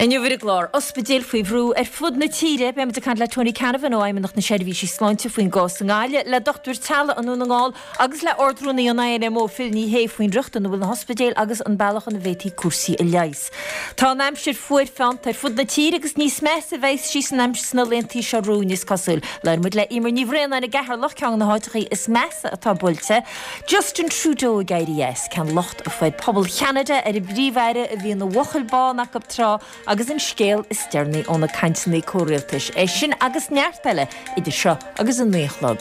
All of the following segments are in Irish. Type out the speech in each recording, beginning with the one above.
Inniu ar an gclár, ospidéil faoi bhrú ar fud na tíre, beidh muid ag caint le Tony Canavan ó Fheidhmeannacht na Seirbhísí Sláinte faoin gcás i nGaillimh, le dochtúir teaghlaigh i nDún na nGall agus le Ard-Rúnaí an INMO, Phil Ní Sheaghdha faoin riocht ina bhfuil na hospidéil agus an bealach ina bhféadfaí cúrsaí a leigheas. Tá an aimsir fuar feannta ar fud na tíre agus níos measa a bheas sí san aimsir sna laethanta seo romhainn is cosúil. Labhróidh muid le Emer Ní Bhraonáin i gCeatharlach, ceann de na háiteachaí is measa atá buailte. Justin Trudeau ag éirí as, cén locht a fuair pobal Cheanada ar an bPríomh-Aire a bhí ina bhuachaill bán acu tráth agus an scéal is deireanaí ó na cainteanna comhrialtais. É sin agus neart eile idir seo agus a 9 a chlog.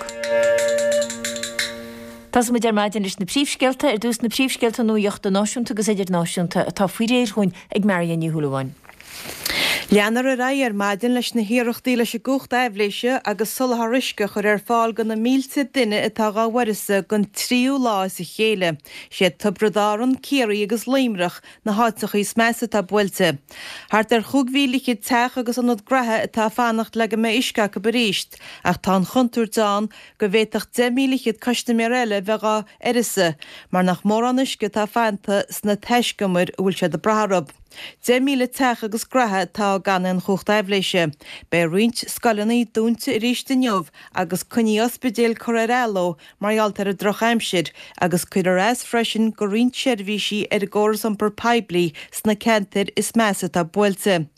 Tosóidh muid ar maidin leis na príomhscéalta. Ar dtús na príomhscéalta nuachta náisiúnta agus idirnáisiúnta atá faoi réir dhúinn ag Marion Ní Shúilleabháin. Leanfar ar aghaidh ar maidin leis na hiarrachtaí leis an gcumhacht aibhléise agus soláthar uisce a chur ar fáil do na mílte duine atá dhá uireasa don tríú lá as a chéile. Siad Tiobraid Árann, Ciarraí agus Luimneach na háiteachaí is measa atá buailte. Thart ar 25,000 teach agus ionad graithe atá ag fanacht le go mbeidh uisce acu arís ach tá an chontúirt ann go bhféadfadh 10,000 custaiméir eile a bheith dhá uireasa mar nach mórán uisce atá fanta sna taiscumair a bhfuil siad ag brath orthu. 10,000 teach agus graithe atá gan aon chumhacht aibhléise. Beidh roinnt scoileanna dúnta arís inniu agus coinní ospidéil curtha ar athló mar gheall ar an drochaimsir agus cuirfear as freisin go roinnt seirbhísí ar an gcóras iompar poiblí sna ceantair is measa atá buailte.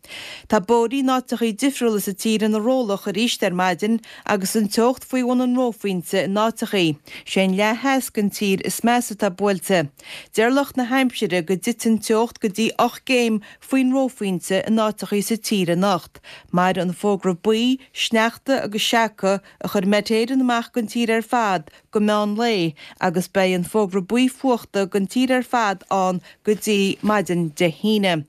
Tá bóithrí in áiteachaí difriúla sa tír ina rollach arís ar maidin agus an teocht faoi bhun an reophointe in áiteachaí. Sé an leath theas den tír is measa atá buailte. Deir lucht na haimsire go dtitfidh an teocht go dtí 8 gcéim faoin reophointe in áiteachaí sa tír anocht. Mairfidh an fógra buí, sneachta agus seaca a chuir Met Éireann amach don tír ar fad go meán lae agus beidh an fógra buí fuachta don tír ar fad ann go dtí maidin Dé hAoine.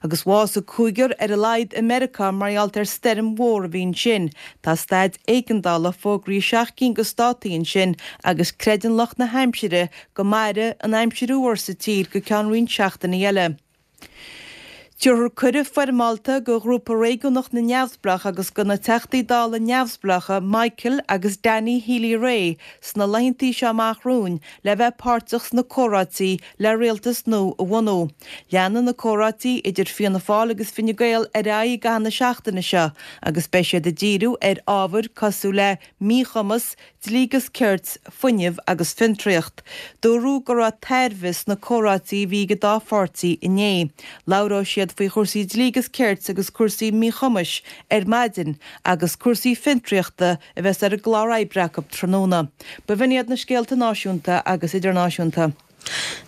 Agus bhásaigh cúigear ar a laghad i Meiriceá mar gheall ar stoirm mhór a bhí ansin. Tá staid éigeandála fógraithe i seacht gcinn de státaí ansin agus creideann lucht na haimsire go mairfidh an aimsir fhuar sa tír go ceann roinnt seachtainí eile. Tabharfar cuireadh foirmeálta do Ghrúpa Réigiúnach na Neamhspleách agus do na Teachtaí Dála neamhspleácha Michael agus Danny Healy-Rae sna laethantaí seo amach romhainn le bheith páirteach sna comhráití le rialtas nua a bhunú. Leanfaidh na comhráití idir Fianna Fáil agus Fine Gael ar aghaidh i gcaitheamh na seachtaine seo agus beidh siad ag díriú ar ábhair cosúil le míchumas, dlí agus cirt, fuinneamh agus fiontraíocht. Dúradh go raibh tairbhe sna comhráití a bhí ag an dá pháirtí inné. Labhróidh siad faoi chúrsaí dlí agus cirt agus cúrsaí míchumais ar maidin agus cúrsaí fiontraíochta a bheas ar an gclár oibre acu tráthnóna. B'in iad na scéalta náisiúnta agus idirnáisiúnta.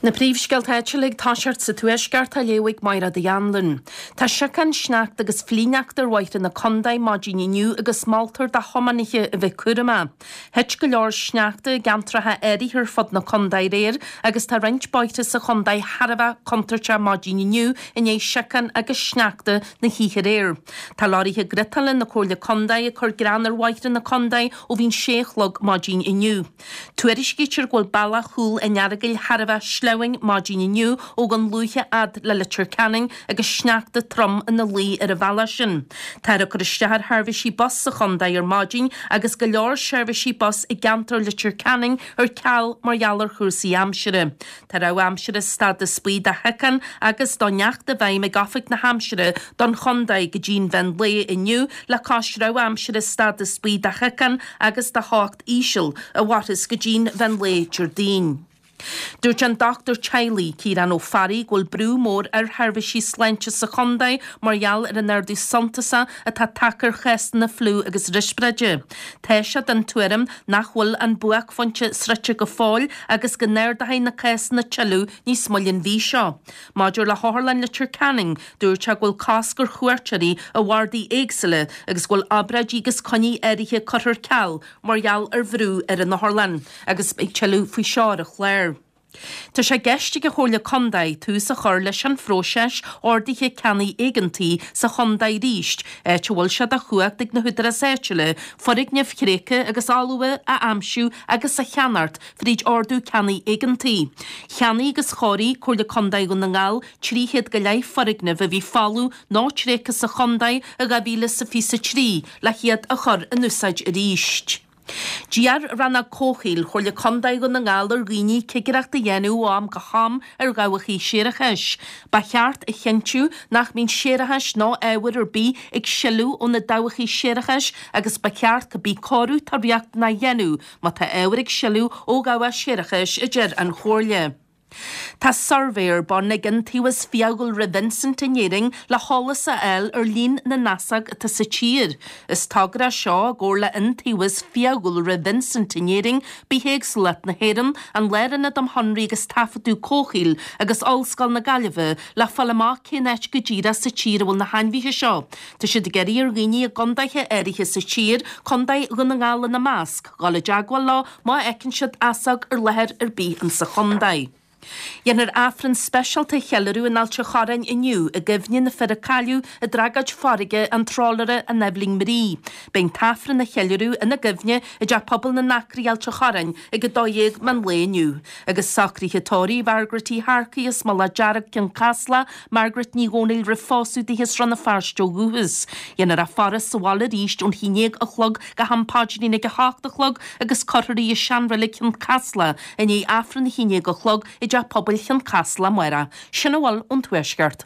Na príomhscéalta áitiúla ag toiseacht sa Tuaisceart á léamh ag Mairéad Uí Anluain. Tá siocán, sneachta agus flichshneachta ar bhóithre na contae maidin inniu agus moltar do thiománaithe a bheith cúramach. Thit go leor sneachta i gceantracha áirithe ar fud na contae aréir agus tá roinnt bóithre sa chontae thar a bheith contúirteach maidin inniu i ndiaidh siocán agus sneachta na hoíche aréir. Tá leoraithe griotála na Comhairle Contae ag cur grean ar bhóithre na contae ó bhí an sé a chlog maidin inniu. Tuairiscítear go bhfuil bealach Chúil an Earagail thar a bheith sleamhain maidin inniu ó Dhún Lúiche fhad le Leitir Ceanainn agus sneachta trom ina luí ar an bhealach sin. Táthar ag cur isteach ar sheirbhísí bus sa chontae ar maidin agus go leor seirbhísí bus i gceantar Leitir Ceanainn ar ceal mar gheall ar chúrsaí aimsire. Tá rabhadh aimsire stádas buí do shiocain agus do shneachta i bhfeidhm ag Oifig na hAimsire don chontae go dtí an mheán lae inniu le cois rabhadh aimsire stádas buí do shiocain agus do theocht íseal a mhairfeas go dtí'n mheán lae Déardaoin. Dúirt an dochtúir teaghlaigh, Ciarán Ó Fearraigh, go bhfuil brú mór ar sheirbhísí sláinte sa chontae mar gheall ar an ardú suntasach atá tagtha ar chásanna fliú agus riospráide. Tá sé den tuairim nach bhfuil an buaicphointe sroichte go fóill agus go n-ardóidh na cásanna tuilleadh níos moille an mhí seo. Maidir le hOtharlann Leitir Ceanainn, dúirt sé go bhfuil cosc ar chuairteoirí i bhardaí éagsúla agus go bhfuil obráidí agus coinní áirithe curtha ar ceal mar gheall ar bhrú ar an otharlann agus beidh tuilleadh faoi seo ar an chlár. Tá sé i gceist ag an Chomhairle Contae tús a chur leis an phróiseas ordaithe ceannaigh éigeantaigh sa chontae arís, áit a bhfuil sé de chumhacht ag na húdaráis áitiúla foirgnimh thréigthe agus fholmha a aimsiú agus a cheannacht fríd ordú ceannaigh éigeantaigh. Cheannaigh agus chóirigh Comhairle Contae Dhún na nGall 300 go leith foirgneamh a bhí folamh nó tréigthe sa chontae i 2023 le hiad a chur in úsáid arís. D'iarr Rannóg Comhshaoil Chomhairle Contae Dhún na nGall ar dhaoine cigireacht a dhéanamh ó am go ham ar dhabhacha séarachais. Ba cheart a chinntiú nach mbíonn séarachas nó ábhar ar bith ag sileadh ó na dabhacha séarachais agus ba cheart cibé cóiriú atá riachtanach a dhéanamh má tá ábhar ag sileadh ó dhabhach séarachais, a deir an Chomhairle. Tá suirbhé ar bun ag Iontaobhas Fiadhúlra Vincent in Éirinn le heolas a fháil ar líon na n-easóg atá sa tír. Is togra é seo i gcomhar le Iontaobhas Fiadhúlra Vincent in Éirinn, Bithéagsúlacht na hÉireann, an Lárionad um Shonraí agus Taifeadadh Comhshaoil agus Ollscoil na Gaillimhe le fáil amach cén áit go díreach sa tír a bhfuil na hainmhithe seo. Tá siad ag iarraidh ar dhaoine i gcondaetha áirithe sa tír, Contae Dhún na nGall ina measc, dhul i dteagmháil leo má fheiceann siad easóg ar láthair ar bith insa chontae. Dhéanfar Aifreann speisialta a cheiliúradh in Ailt an Chorráin inniu i gcuimhne na fir a cailleadh i dtragóid farraige an trálaera an Eibhlín Marie. Beidh an tAifreann á cheiliúradh ina gcuimhne i dTeach Pobail na nAcraí Ailt an Chorráin ag 12 meán lae inniu. Agus socruithe tórraimh Mhargaret Uí hEarcaigh as Mullach Dearg, Cionn Caslach, Margaret Ní Dhomhnaill roimh phósadh di as Rann na Feirste ó dhúchas. Dhéanfar í a faire sa bhaile arís ón 11 a chlog go ham paidrín ag 8 a chlog agus cuirfear í i seanreilig Chionn Caslach i ndiaidh Aifreann a 11 a chlog i dTeach Pobail Chionn Caslach amárach. Sin a bhfuil ón Tuaisceart.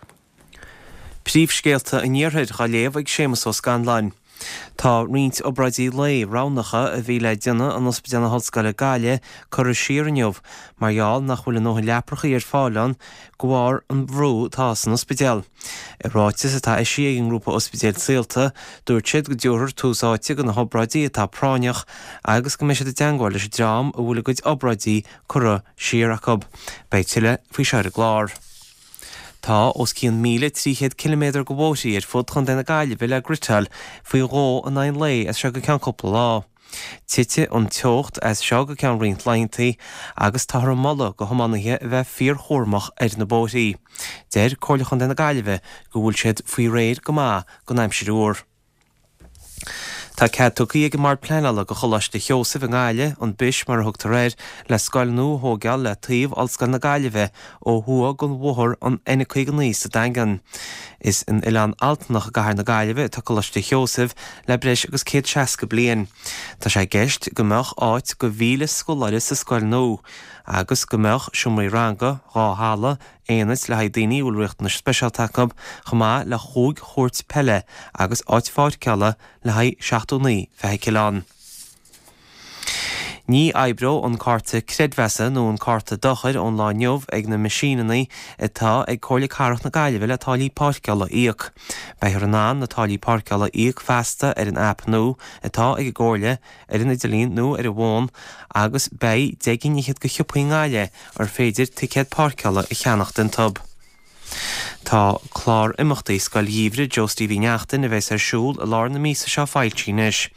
Príomhscéalta an Iarthair á léamh ag Séamus Ó Scanláin. Tá roinnt obráidí lae roghnacha a bhí le déanamh in Ospidéal na hOllscoile Gaillimh curtha siar inniu mar gheall nach bhfuil a ndóthain leaprachaí ar fáil ann de bharr an bhrú atá san ospidéal. I ráiteas atá eisithe ag an ngrúpa ospidéil Saolta, dúirt siad go dtabharfar tús áite do na hobráidí atá práinneach agus go mbeidh siad i dteangmháil leis an dream a bhfuil a gcuid obráidí curtha siar acu. Beidh tuilleadh faoi seo ar an gclár. Tá os cionn 1,300 ciliméadar de bhóithrí ar fud Chontae na Gaillimhe le gritteáil faoi dhó in aghaidh an lae as seo go ceann cúpla lá. Titfidh an teocht as seo go ceann roinnt laethanta agus táthar ag moladh do thiománaithe a bheith fíorchúramach ar na bóithrí. Deir Comhairle Chontae na Gaillimhe go bhfuil siad faoi réir go maith don aimsir fhuar. Tá cead tugtha ag an mBord Pleanála do Choláiste Sheosaimh i nGaillimh, an Bish mar a thugtar air, le scoil nua a thóigeáil le taobh Ollscoil na Gaillimhe ó thuaidh den bhóthar an N59 sa Daingean. Is in Oileán Altanach i gcathair na Gaillimhe atá Coláiste Sheosaimh le breis agus 160 bliain. Tá sé i gceist go mbeadh áit do 1,000 scoláire sa scoil nua agus go mbeadh seomraí ranga, dhá halla, aonaid le haghaidh daoine a bhfuil riachtanais speisialta acu, chomh maith le chúig chúirt peile agus áit pháirceála le haghaidh 79 feithicil ann. Ní oibreoidh an cárta creidmheasa nó an cárta dochair ón lá inniu ag na meaisíneanna atá ag Comhairle Cathrach na Gaillimhe le táillí páirceála a íoc. Beifear in ann na táillí páirceála a íoc feasta ar an aip nua atá ag an gComhairle, ar an idirlíon nó ar an bhfón agus beidh deich gcinn fhichead de shiopaí i nGaillimh ar féidir ticéad páirceála a cheannacht iontu. Tá clár imeachtaí Scoil Gheimhridh Joe Steve Uí Neachtain a bheas ar siúl i lár na míosa seo foilsithe anois.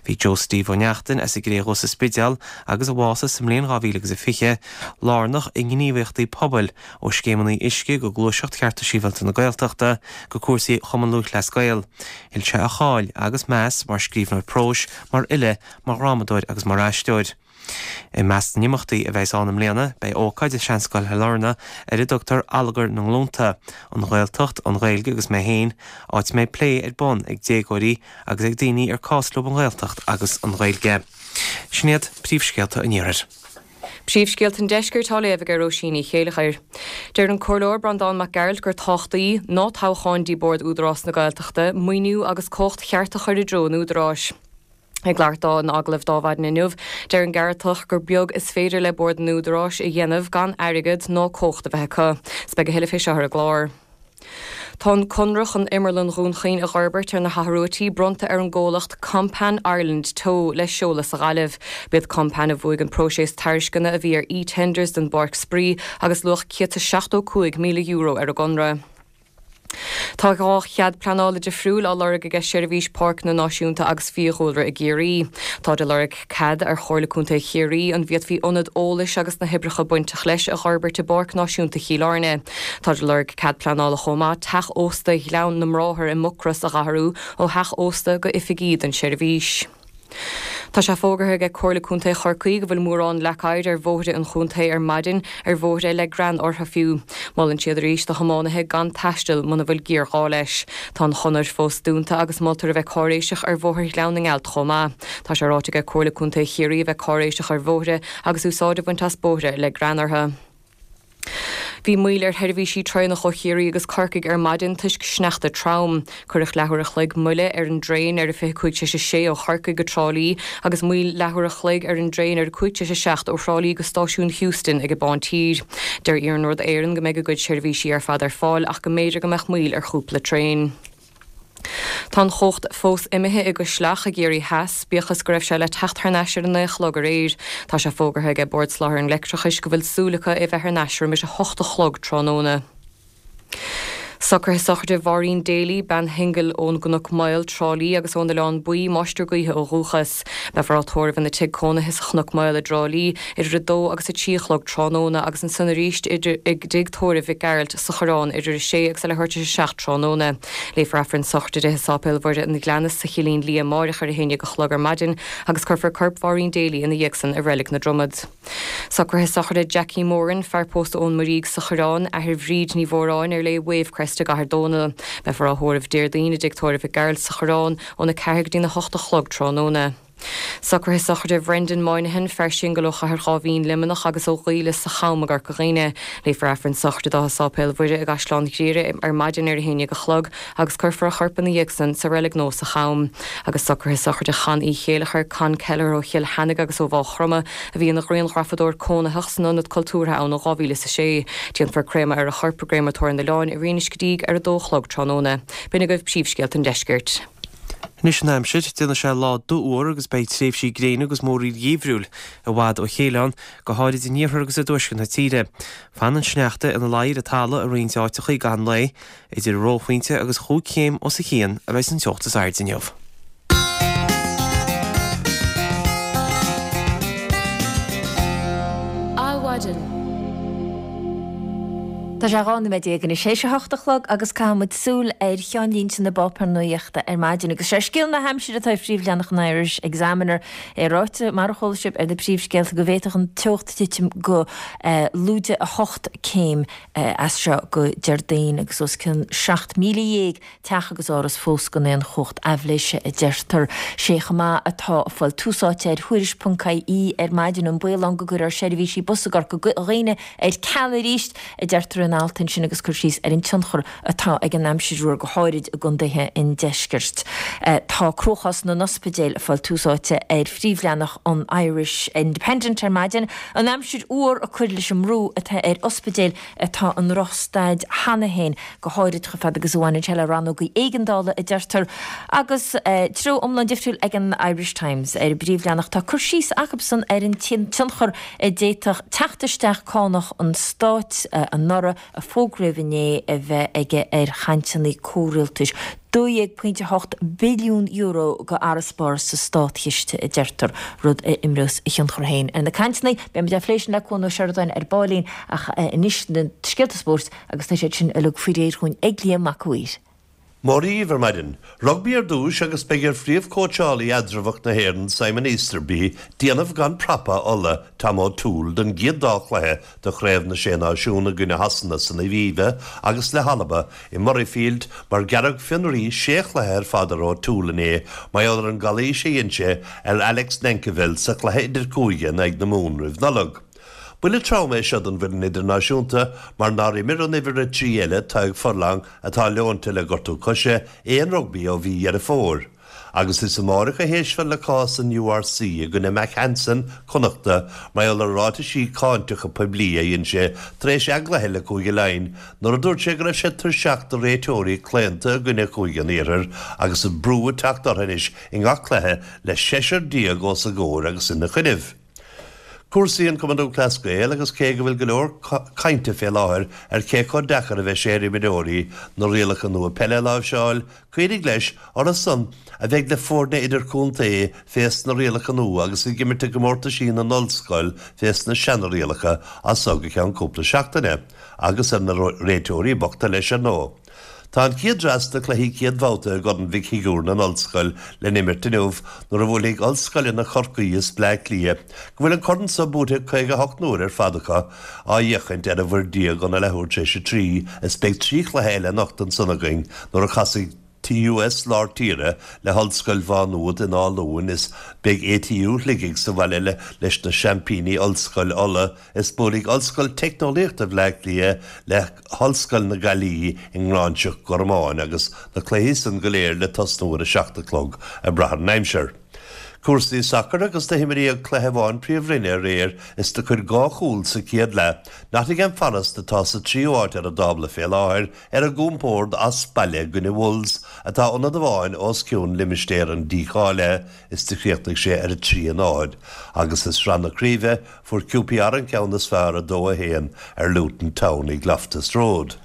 Bhí Joe Steve Ó Neachtain as an gCré Dhubh sa Spidéal agus a bhásaigh sa mbliain 2020, lárnach i ngníomhaíochtaí pobail, ó scéimeanna uisce go gluaiseacht Chearta Sibhialta na Gaeltachta go cúrsaí Chumann Lúthchleas Gael. Thuill sé a cháil agus meas mar scríbhneoir próis, mar fhile, mar dhrámadóir agus mar aisteoir. I measc na n-imeachtaí a bheas ann i mbliana beidh ócáid i Seanscoil Shailearna ar a dtugtar Allagar na nGlúnta, An Ghaeltacht, an Ghaeilge agus mé féin, áit a mbeidh plé ar bun ag déagóirí agus ag daoine ar cás leo an Ghaeltacht agus an Ghaeilge. Sin iad príomhscéalta an Iarthair. Príomhscéalta an Deiscirt á léamh ag Róisín Ní Chéileachair. Deir an Comhairleoir Breandán Mac Gearailt gur tábhachtaí ná toghcháin dtí Bord Údarás na Gaeltachta maoiniú agus cumhacht cheart a chur i dtreo an Údaráis. Ag labhairt dó in agallamh d'Adhmhaidin inniu, deir an Gearaltach gur beag is féidir le Bord an Údaráis a dhéanamh gan airgead ná cumhacht a bheith acu. 'S beidh a thuilleadh fé seo ar an gclár. Tá an conradh chun Imearlann Dhún Chaoin a dh'fhorbairt ar na hAthar bronnta ar an gcomhlacht Kompan Ireland Teo le seoladh sa Ghaillimh. B'iad Kompan a bhuaigh an próiseas tairisceana a bhí ar eTenders don bPáirc Spraoi agus luach €175,000 ar an gconradh. Tá dhá chead pleanála difriúil á lorg aige Seirbhís Páirceanna Náisiúnta agus Fiadhúlra i gCiarraí. Táid ag lorg cead ar Chomhairle Contae Chiarraí an bhféadfaí ionad eolais agus na hoibreacha bainteach leis a dh'fhorbairt i bPáirc Náisiúnta Chill Airne. Táid ag lorg cead pleanála chomh maith teach ósta Ghleann na mBráthar i Mucros a dh'athrú ó theach ósta go oifigí don seirbhís. Tá sé fógartha aige Comhairle Contae Chorcaí go bhfuil mórán leac oighir ar bhóithre an chontae ar maidin, ar bhóithre le grean orthu fiú. Molann siad arís do thiománaithe gan taisteal muna bhfuil géarghá leis. Tá an chonair fós dúnta agus moltar a bheith cáiréiseach ar Bhóthar Ghleann na nGealt chomh maith. Tá sé ráite aige Comhairle Contae Chiarraí a bheith cáiréiseach ar bhóithre agus úsáid a bhaint as bóithre le grean orthu. Bhí moill ar sheirbhísí traenach ó Chiarraí agus Corcaigh ar maidin toisc sneachta trom. Cuireadh leathuair a chloig moille ar an dtraein ar a 25 tar éis a sé ó Chorcaigh go Trá Lí agus moill leathuair a chloig ar an dtraein ar a 5 tar éis a 7 ó Thrá Lí go Stáisiún Heuston ag an bPán Tír. Deir Iarnród Éireann go mbeidh a gcuid seirbhísí ar fad ar fáil ach go mb'fhéidir go mbeadh moill ar chúpla traein. Tá an chumhacht fós imithe i gCois Leach i gCiarraí Theas, bíodh is go raibh sé le teacht thar n-ais ar a naoi a chlog aréir. Tá sé fógartha aige Bord Soláthair an Leictreachais go bhfuil súil acu é bheith thar n-ais roimis a hocht a chlog tráthnóna. Socruithe sochraide Mháirín Daly, bean shingil ón gCnoc Maol, Trá Lí agus ón Oileán Buí, máistir gaoithe ó dhúchas. Beifear á tórramh ina tigh cónaithe sa Chnoc Maol i dTrá Lí idir a dó agus a 3 a chlog tráthnóna agus ansan arís i dtigh tórraimh Mhic Gearailt sa Choireán idir a sé agus a leathuair tar éis a 7 tráthnóna. Léifear Aifreann sochraide di i Sáipéal Mhuire an Ghleanna sa Chillín Liath amáireach ar a haon dhéag a chlog ar maidin agus cuirfear corp Mháirín Daly ina dhiaidh san i Reilig na Dromad. Socruithe sochraide Jackie Moran, fear pósta ón Muirígh sa Choireán, athair Bhríd Ní Mhóráin ar léi Wavecrest i gCathair Dónall. Beifear á thórramh Déardaoin i dtigh tórraimh Mhic Gearailt sa Choireán óna 4 go dtína 8 a chlog tráthnóna. Socruithe sochraide Bhrendan Moynihan, fear singil ó Chathair Dháibhín, Luimneach agus ó Ghaoille sa Cham i gCorca Dhuibhne. Léifear Aifreann sochraide dó i Sáipéal Mhuire i gCaisleán Ghriaire ar maidin ar a haon dhéag a chlog agus cuirfear a chorp ina dhiaidh san sa reilig nua sa Cham. Agus socruithe sochraide Chon Uí Chéileachair, Con Kelleher ó Chill Cheannaigh agus ó Mhaigh Chromtha, a bhí ina ghrianghrafadóir cónaitheach san Ionad Cultúrtha ann ó 2006. Déanfar créamadh ar a chorp i gCréamatóir an Oileáin i Rinn Uisce Díg ar a dó a chlog tráthnóna. B'in agaibh príomhscéalta an deiscirt. Anois an aimsir, déanfaidh sé lá dubhfhuar agus beidh tréimhsí gréine agus múraíl gheimhriúil i bhfad ó chéile ann, go háirid in iarthar agus i dtuaisceart na tíre. Fanann an sneachta ina luí ar an talamh i roinnt áiteacha i gcaitheamh an lae. Idir reophointe agus chúig chéim os a chionn a bheidh an teocht is airde inniu. Adhmhaidin. Tá sé 12 nóiméad anois théis a hocht a chlog agus caithfidh muid súil ar cheannlínte na bpáipéar nuachta ar maidin. Agus sé scéal na haimsire atá ar phríomhleathanach an Irish Examiner. É ráite, mar a chuala sibh ar na príomhscéalta, go bhféadfadh an teocht titim go lúide 8 céim as seo go Déardaoin agus os cionn 17,000 teach agus áras fós gan aon chumhacht aibhléise, a deirtear. Sé chomh maith atá ag fáil tús áite ar Thuairisc ponc ie ar maidin, an baol ann go gcuirfear seirbhísí bus i gCorca Dhuibhne ar ceal arís, a deirtear in alt ansin agus cur síos ar an tionchar atá ag an aimsir fhuar go háirid i gcontaetha an deiscirt. Tá cruachás na n-ospidéal ag fáil tús áite ar phríomhleathanach an Irish Independent ar maidin, an aimsir fhuar ag cur leis an mbrú atá ar ospidéil atá i ndrochstaid cheana féin, go háirid chomh fada agus a bhaineann sé le rannógaí éigeandála, a deirtear. Agus treo iomlán difriúil ag an Irish Times. Ar an bpríomhleathanach tá cur síos acusan ar an tionchar a d'fhéadfadh teacht isteach cánach an stáit anuraidh, a fógraíodh inné, a bheith aige ar chainteanna comhrialtais. €12.8 billiún d'fharasbarr sa státchiste, a deirtear, rud a imreos a thionchar féin ar na cainteanna. Beidh muid á phlé sin le Cuan Ó Seireadáin ar baillín ach anois na scéalta spóirt agus tá siad sin uilig faoi réir dhúinn ag Liam Mac a' Mhaoir. Móra dhíbh ar maidin. Rugbaí ar dtúis agus beidh ar phríomhchóitseálaí eatramhach na hÉireann Simon Easterby déanamh gan prapa Uladh, Tom O'Toole, don gcéad dá chluiche de Chraobh na Sé Náisiún i gcoinne Shasana san Aviva agus le hAlba i Murrayfield mar gearradh fionraí sé chluiche ar fad ar O'Toole inné mar gheall ar an gcalaois a dhein sé ar Alex Nankivell sa chluiche idirchúige in aghaidh na Mumhan roimh Nollaig. Buille trom é seo don bhfoireann idirnáisiúnta mar nár imir an uimhir 3 eile, Tadhg Furlong, atá leonta le gortú coise, aon rugbaí ó mhí Dheireadh Fómhair. Agus is amáireach a héistfear le cás an URC i gcoinne Mack Hansen, Connachta, mar gheall ar ráitisí cáinteacha poiblí a dhein sé tar éis a gcluiche le Cúige Laighean nuair a dúirt sé go raibh sé tuirseach de réiteoirí claonta i gcoinne Chúige an Iarthair agus an brú ag teacht orthu anois i ngach cluiche le seisear déag os a gcomhair agus ina choinnibh. Cúrsaí an Cumann Lúthchleas Gael agus cé go bhfuil go leor cainte fé láthair ar cé chomh deacair a bheidh sé ar imreoirí na rialacha nua peile a láimhseáil, cuimhnigh leis, orthu san a bheidh le foirne idirchontae fés na rialacha nua agus ag imirt i gcomórtaisí na n-ollscol fés na seana-rialacha as so go ceann cúpla seachtaine, agus ar na réiteoirí bochta leis ar ndóigh. Tá an chéad dreas de chluichí chéad bhabhta i gCorn Mhic Shigiúir na nOllscoil le n-imirt inniu nuair a bhuailfidh Ollscoileanna Chorcaí is Bleá Cliath, go bhfuil an corn so buaite 58 n-uair ar fad acu, á fhéachaint ar an bhFoird óna leathuair tar éis a 3 is beidh 3 chluiche eile anocht ansan againn nuair a chasfaidh TUS Lár Tíre le hOllscoil Mhá Nuad in Áth Luain is beidh ATU Shligigh sa bhaile le leis na seaimpíní Ollscoil Uladh is buailfidh Ollscoil Teicneolaíochta Bhleá Cliath le hOllscoil na Gaillimhe i nGráinseach Gormáin agus na cluichí san go léir le tosnú ar a 7 a chlog ag brath ar an aimsir. Cúrsaí sacair agus do himríodh cluiche amháin Príomhroinne aréir is do cuir 2 chúl sa chéad leath Nottingham Forest atá sa tríú áit ar an dtábla fé láthair ar a gcompord as baile i gcoinne Wolves atá ionad amháin os cionn limistéar an dícháilithe is do chríochnaigh sé ar 3, 0 agus i Sraith na Craoibhe fuair QPR an ceann is fearr 2, 1 ar Luton Town ag Loftus Road.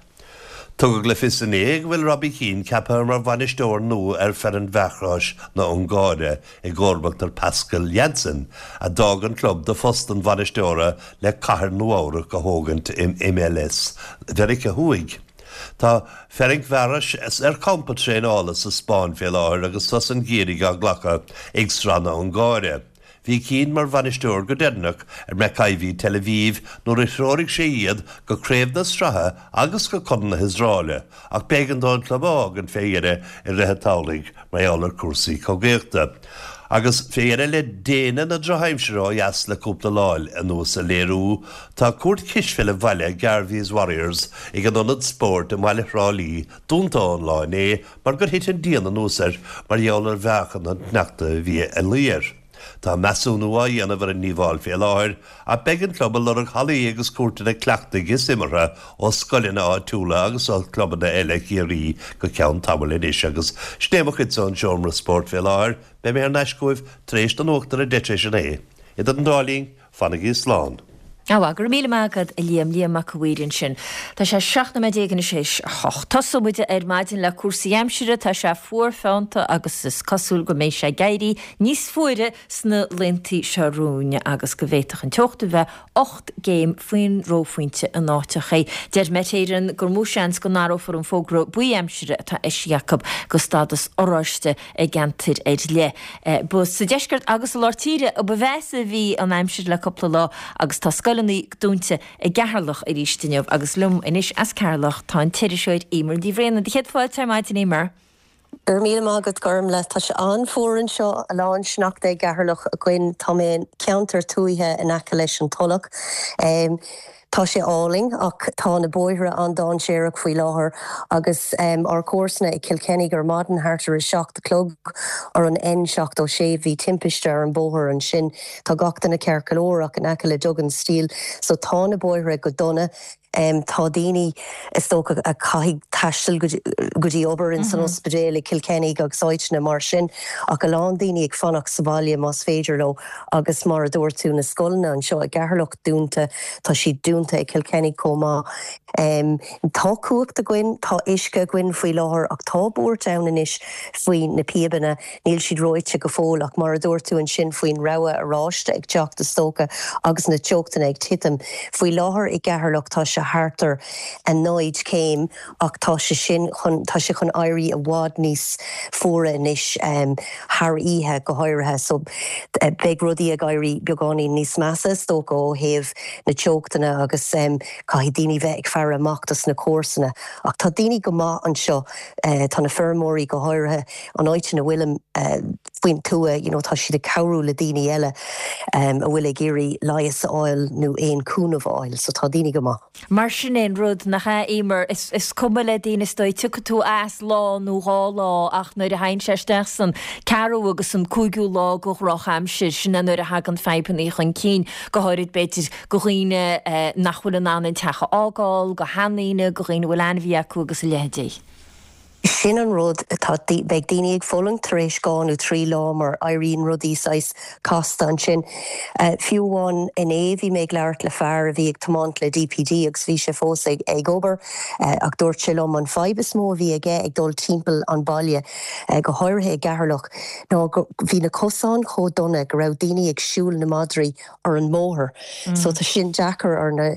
Tugadh le fios inné go bhfuil Robbie Keane ceaptha mar bhainisteoir nua ar Ferencváros na Ungáire i gcomharbacht ar Pascal Jansen, a d'fhág an club do phost an bhainisteora le Cathair Nua-Eabhrac a thógaint in MLS Mheiriceá Thuaidh. Tá Ferencváros ar champa traenála sa Spáinn fé láthair agus sos an gheimhridh á ghlacadh ag Sraith na Ungáire. Bhí Keane mar bhainisteoir go deireanach ar Maccabi Tel Aviv nuair a threoraigh sé iad go Craobh na Sraithe agus go Corn na hIosraeile ach b'éigean dó an club a fhágaint fé dheireadh i rith an tsamhraidh mar gheall ar cúrsaí cogaíochta. Agus fé dheireadh le déine na drochaimsire ó dheas le cúpla lá anuas a léiriú, tá cúirt chispheile bhaile Garvey's Warriors ag an Ionad Spóirt i mbaile Thrá Lí dúnta ón lá inné mar gur thit an díon anuas air mar gheall ar mheáchan an tsneachta a bhí ag luí air. Tá measúnú á dhéanamh ar an ndíobháil fé láthair ach beidh an club ag lorg hallaí agus cúirteanna cleachtaidh is imeartha ó scoileanna áitiúla agus ó chlubanna eile Chiarraí go ceann tamaill anois agus sin é mo chuidse ón seomra spóirt fé láthair. Beidh mé thar n-ais chugaibh tar éis na nuachta ar 10 tar éis a naoi. Idir an dá linn, Fanaigí slán. Á, go raibh míle maith agat, a Liam. Liam Mac a' Mhaoir ansin. Tá sé 17 nóiméad anois théis a hocht. Tosóidh muid ar maidin le cúrsaí aimsire. Tá sé fuar feannta agus is cosúil go mbeidh sé ag éirí níos fuaire sna laethanta seo romhainn agus go bhféadfadh an teocht a bheith 8 gcéim faoin reophointe in áiteachaí. Deir Met Éireann gur mó seans go n-athrófar an fógra buí aimsire atá eisithe acu go stádas oráiste i gceantair ar leith. Ba sa deisceart agus i lár tíre a ba mheasa a bhí an aimsir le cúpla lá agus tá scoileanna dúnta i gCeatharlach arís inniu agus liom anois as Ceatharlach tá an t-iriseoir Eimear Ní Bhraonáin. Céad fáilte ar maidin Eimear. Go raibh míle maith agat Gormlaith. Tá sé an-fhuar anseo, a lán sneachta i gCeatharlach againn. Tá mé i gceantar tuaithe in aice leis an Tulach. Tá sé álainn ach tá na bóithre an-dainséarach faoi láthair agus ár comharsana i Cill Chainnigh ar maidin thart ar a 7 a chlog ar an N76 bhí timpiste ar an bóthar ansin. Tá gach duine ceart go leor ach in aice le Duggan Steel so tá na bóithre go dona. Tá daoine is dócha a chaithfidh taisteal go dtí obair in san ospidéal i Cill Chainnigh agus áiteanna mar sin ach a lán daoine ag fanacht sa bhaile más féidir leo agus mar a dúirt tú na scoileanna anseo i gCeatharlach dúnta, tá siad dúnta i Cill Chainnigh chomh maith. Tá cumhacht againn, tá uisce againn faoi láthair ach tá buairt ann anois faoi na píobanna, níl siad reoite go fóill ach mar a dúirt tú ansin faoin rabhadh oráiste ag teacht is dócha agus na teochtanna ag titim. Faoi láthair i gCeatharlach tá sé thart ar 0 céim ach tá sé sin chun, tá sé chun éirí i bhfad níos fuaire anois, thar oíche go háirithe, so beidh rudaí ag éirí beagáinín níos measa is dócha ó thaobh na teochtanna agus caithfidh daoine bheith ag faire amach dos na comharsana. Ach tá daoine go maith anseo, tá na feirmeoirí go háirithe, an áit ina bhfuilim faoin tuath, you know, tá siad ag cabhrú le daoine eile a bhfuil ag iarraidh leigheas a fháil nó aon cúnamh a fháil, so tá daoine go maith. Mar sin é an rud, nach ea, Eimear? Is cuma le daoine is dóigh, tiocfaidh tú as lá nó dhá lá ach nuair a thagann sé isteach san ceathrú agus an cúigiú lá de dhrochaimsir, sin é nuair a thagann fadhbanna chun cinn, go háirid b'fhéidir do dhaoine nach bhfuil in ann an teach a fhágáil, do sheandaoine, do dhaoine a bhfuil ainmhí acu agus a leithéidí. Sin an rud, tá, beidh daoine ag fulaingt tar éis 2 nó 3 lá mar éiríonn rudaí saghas casta ansin. Fiú amháin inné bhí mé ag labhairt le fear a bhí ag tiomáint le DPD agus bhí sé fós ag ag obair ach dúirt sé liom an fadhb is mó a bhí aige ag dul timpeall an baile, go háirithe i gCeatharlach, ná go bhí na cosáin chomh dona go raibh daoine ag siúl na madraí ar an mbóthar. So tá sin deacair ar na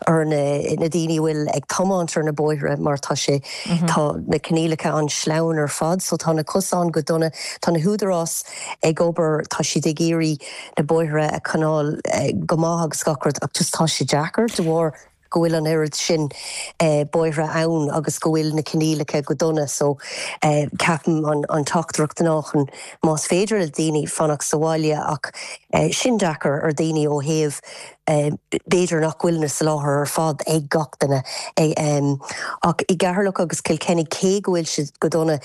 ar na na daoine a bhfuil ag tiomáint ar na bóithre mar tá sé tá na coinníollacha an-sleamhain ar fad so tá na cosáin go dona. Tá na húdaráis ag obair, tá siad ag iarraidh na bóithre a choinneáil go maith agus gach rud ach just tá sé deacair de bharr go bhfuil an oiread sin bóithre ann agus go bhfuil na coinníollacha go dona so ceapaim an teachtaireacht ná chun más féidir le daoine fanacht sa bhaile ach sin deacair ar daoine ó thaobh b'fhéidir nach bhfuil na soláthar ar fad ag gach duine ach i gCeatharlach agus Cill Chainnigh cé go bhfuil siad go dona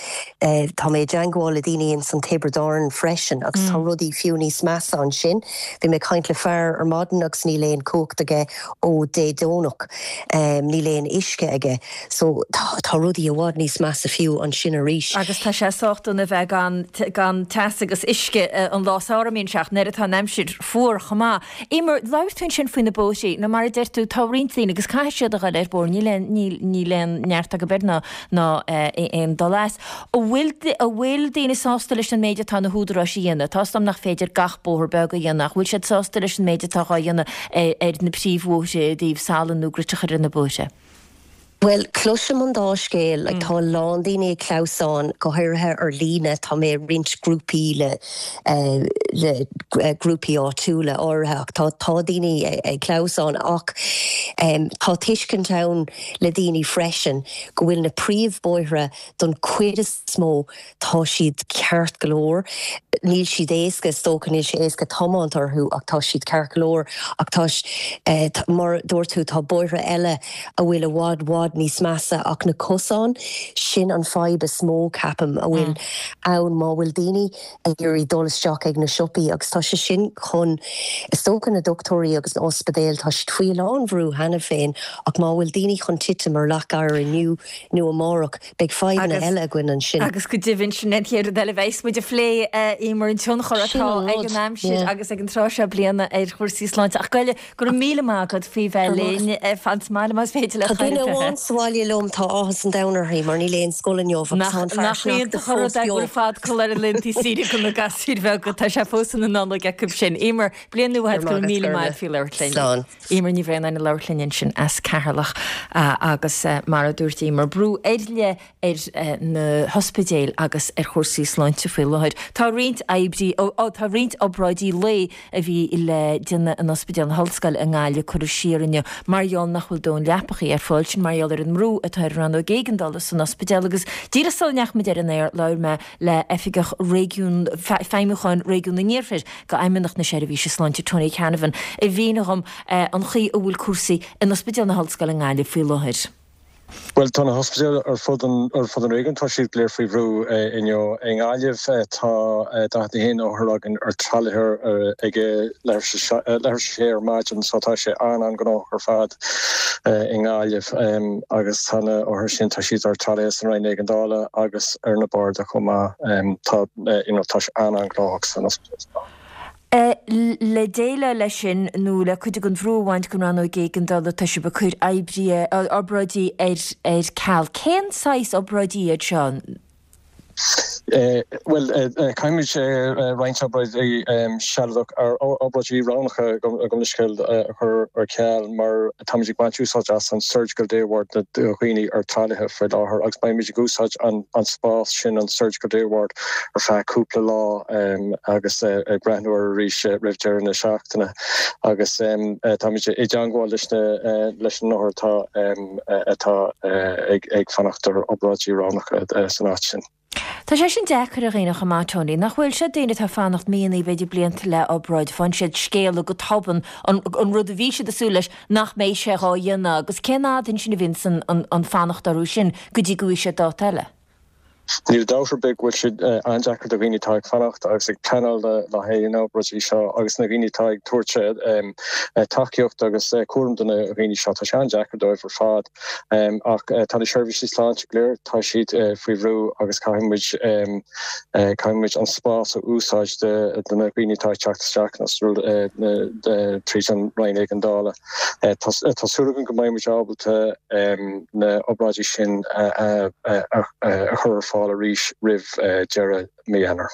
tá mé i dteangmháil le daoine ins an Tiobraid Árann freisin agus tá rudaí fiú níos measa ansin. Bhí mé ag caint le fear ar maidin agus níl aon cumhacht aige ó Dé Domhnach. Níl aon uisce aige. So tá tá rudaí i bhfad níos measa fiú ansin arís. Agus tá sé sách dona bheith gan gan teas agus uisce an lá samhraidh a mbíonn sé ach nuair atá an aimsir fuar chomh maith. Eimear, labhair tú ansin faoi na bóithrí. Nó mar a deir tú, tá roinnt daoine agus caithfidh siad a dhul ar bóthar, níl aon níl níl aon neart acu air ná ná aon dul as. An bhfuil an bhfuil daoine sásta leis an méid atá na húdaráis a dhéanamh? Tá's agam nach féidir gach bóthar beag a dhéanamh ach bhfuil siad sásta leis an méid atá dhá dhéanamh ar na príomhbhóithre i dtaobh salann nó grit a chur ar na bóithre? Bhuel, cloisim an dá scéal. Like, tá a lán daoine ag clamhsán, go háirithe ar líne. Tá mé i roinnt grúpaí le le grúpaí áitiúla áirithe ach tá tá daoine ag clamhsán ach tá tuiscint ann le daoine freisin go bhfuil na príomhbhóithre don chuid is mó tá siad ceart go leor. Níl siad éasca, is dócha, níl sé éasca tiomáint orthu ach tá siad ceart go leor. Ach tá, mar a dúirt tú, tá bóithre eile a bhfuil i bhfad, bhfad níos measa ach na cosáin, sin an fadhb is mó, ceapaim, a bhfuil ann má bhfuil daoine ag iarraidh dul isteach ag na siopaí agus tá sé sin chun, is dócha, na dochtúirí agus na ospidéil, tá siad faoi a lán bhrú cheana féin ach má bhfuil daoine chun titim ar leac oighir inniu nó amárach, beidh fadhbanna eile againn ansin. Agus go deimhin, sin an chéad rud eile a bheas muid a phlé, Eimear, an tionchar atá ag an aimsir agus ag an tráth seo bliana ar chúrsaí sláinte. Ach Gaeilge, Go raibh míle maith agat faoi bheith linn. Fan sa mbaile más féidir leat. Tá duine amháin sa bhaile liom, tá áthas an domhain uirthi mar níl aon scoil inniu agus tá an fear Nach sneachta iontach an fós rud é go beo. bhfuil fadcodladh ar na laethanta saoire do na gasúir bheaga, tá sé fós ina Nollaig acu sin. Eimear, bliain nua Go dhuit, go raibh raibh maith agat, míle maith Gormlaith. agat faoi labhairt linn. Slán. Eimear Ní Bhraonáin ag labhairt linn ansin as Ceatharlach agus mar a dúirt Eimear, brú ar leith ar na hospidéil agus ar chúrsaí sláinte faoi láthair. Tá roinnt oibrí, tá roinnt obráidí lae a bhí le déanamh in Ospidéal na hOllscoile i nGaillimh curtha siar inniu mar gheall nach bhfuil dóthain leapachaí ar fáil, sin mar gheall ar an mbrú atá ar an rannóg éigeandála san ospidéal agus díreach sula ndeachaigh muid ar an aer labhair mé le Oifigeach Réigiún Feidhmiúcháin Réigiún an Iarthair d'Fheidhmeannacht na Seirbhíse Sláinte Tony Canavan a mhínigh dhom an chaoi a bhfuil cúrsaí in Ospidéal na hOllscoile i nGaillimh faoi láthair. Bhuel, tá na hospidéil ar fud an ar fud an réigiúin, tá siad go léir faoi bhrú inniu. I nGaillimh tá 41 othar againn ar tralaithe ag leathuair tar éis a sé ar maidin so tá sé an-an-ghnóthach ar fad i nGaillimh agus tá na othair sin, tá siad ar tralaithe san Roinn Éigeandála agus ar na barda chomh maith. Tá you know tá sé an-an-ghnóthach san ospidéal. Le déileáil leis sin, nó le cuid den bhrú a bhaint den rannóg éigeandála, tá sibh ag cur oibrí, obráidí ar ceal. Cén saghas obráidí iad seo? Bhuel, caithfimid roinnt obráidí sealadach, obráidí roghnacha gabh mo leithscéal, a chur ar ceal mar táimid ag baint úsáid as an Surgical Day Ward do dhaoine ar tralaithe faoi láthair agus beimid ag úsáid an spás sin, an Surgical Day Ward, ar feadh cúpla lá agus ag breathnú air arís roimh deireadh na seachtaine agus táimid i dteangmháil leis na leis na hothair atá atá ag fanacht ar obráidí roghnacha san áit sin. Tá sé sin deacair ar dhaoine chomh maith, Tony, nach bhfuil? Sé daoine atá ag fanacht míonna, b'fhéidir blianta le obráid, faigheann siad scéala go tobann, an rud a bhí siad ag súil leis, nach mbeidh sé dhá dhéanamh agus cén fhad ansin a bhíonns an fanacht orthu sin go dtí go bhfaighidh siad dáta eile? Níl dabht ar bith go bhfuil sé an-deacair do dhaoine atá ag fanacht agus ag pleanáil le haghaidh na n-obráidí seo agus na daoine atá ag tabhairt tacaíocht agus cúram do na dhaoine seo. Tá sé an-deacair dóibh ar fad. Ach tá na seirbhísí sláinte go léir, tá siad faoi bhrú agus caithfidh muid, caithfidh muid an spás a úsáid do na daoine atá ag teacht isteach tríd an Roinn Éigeandála. Tá súil agam go mbeidh muid ábalta na obráidí sin a chur ar fáil arís roimh deireadh mí Eanáir.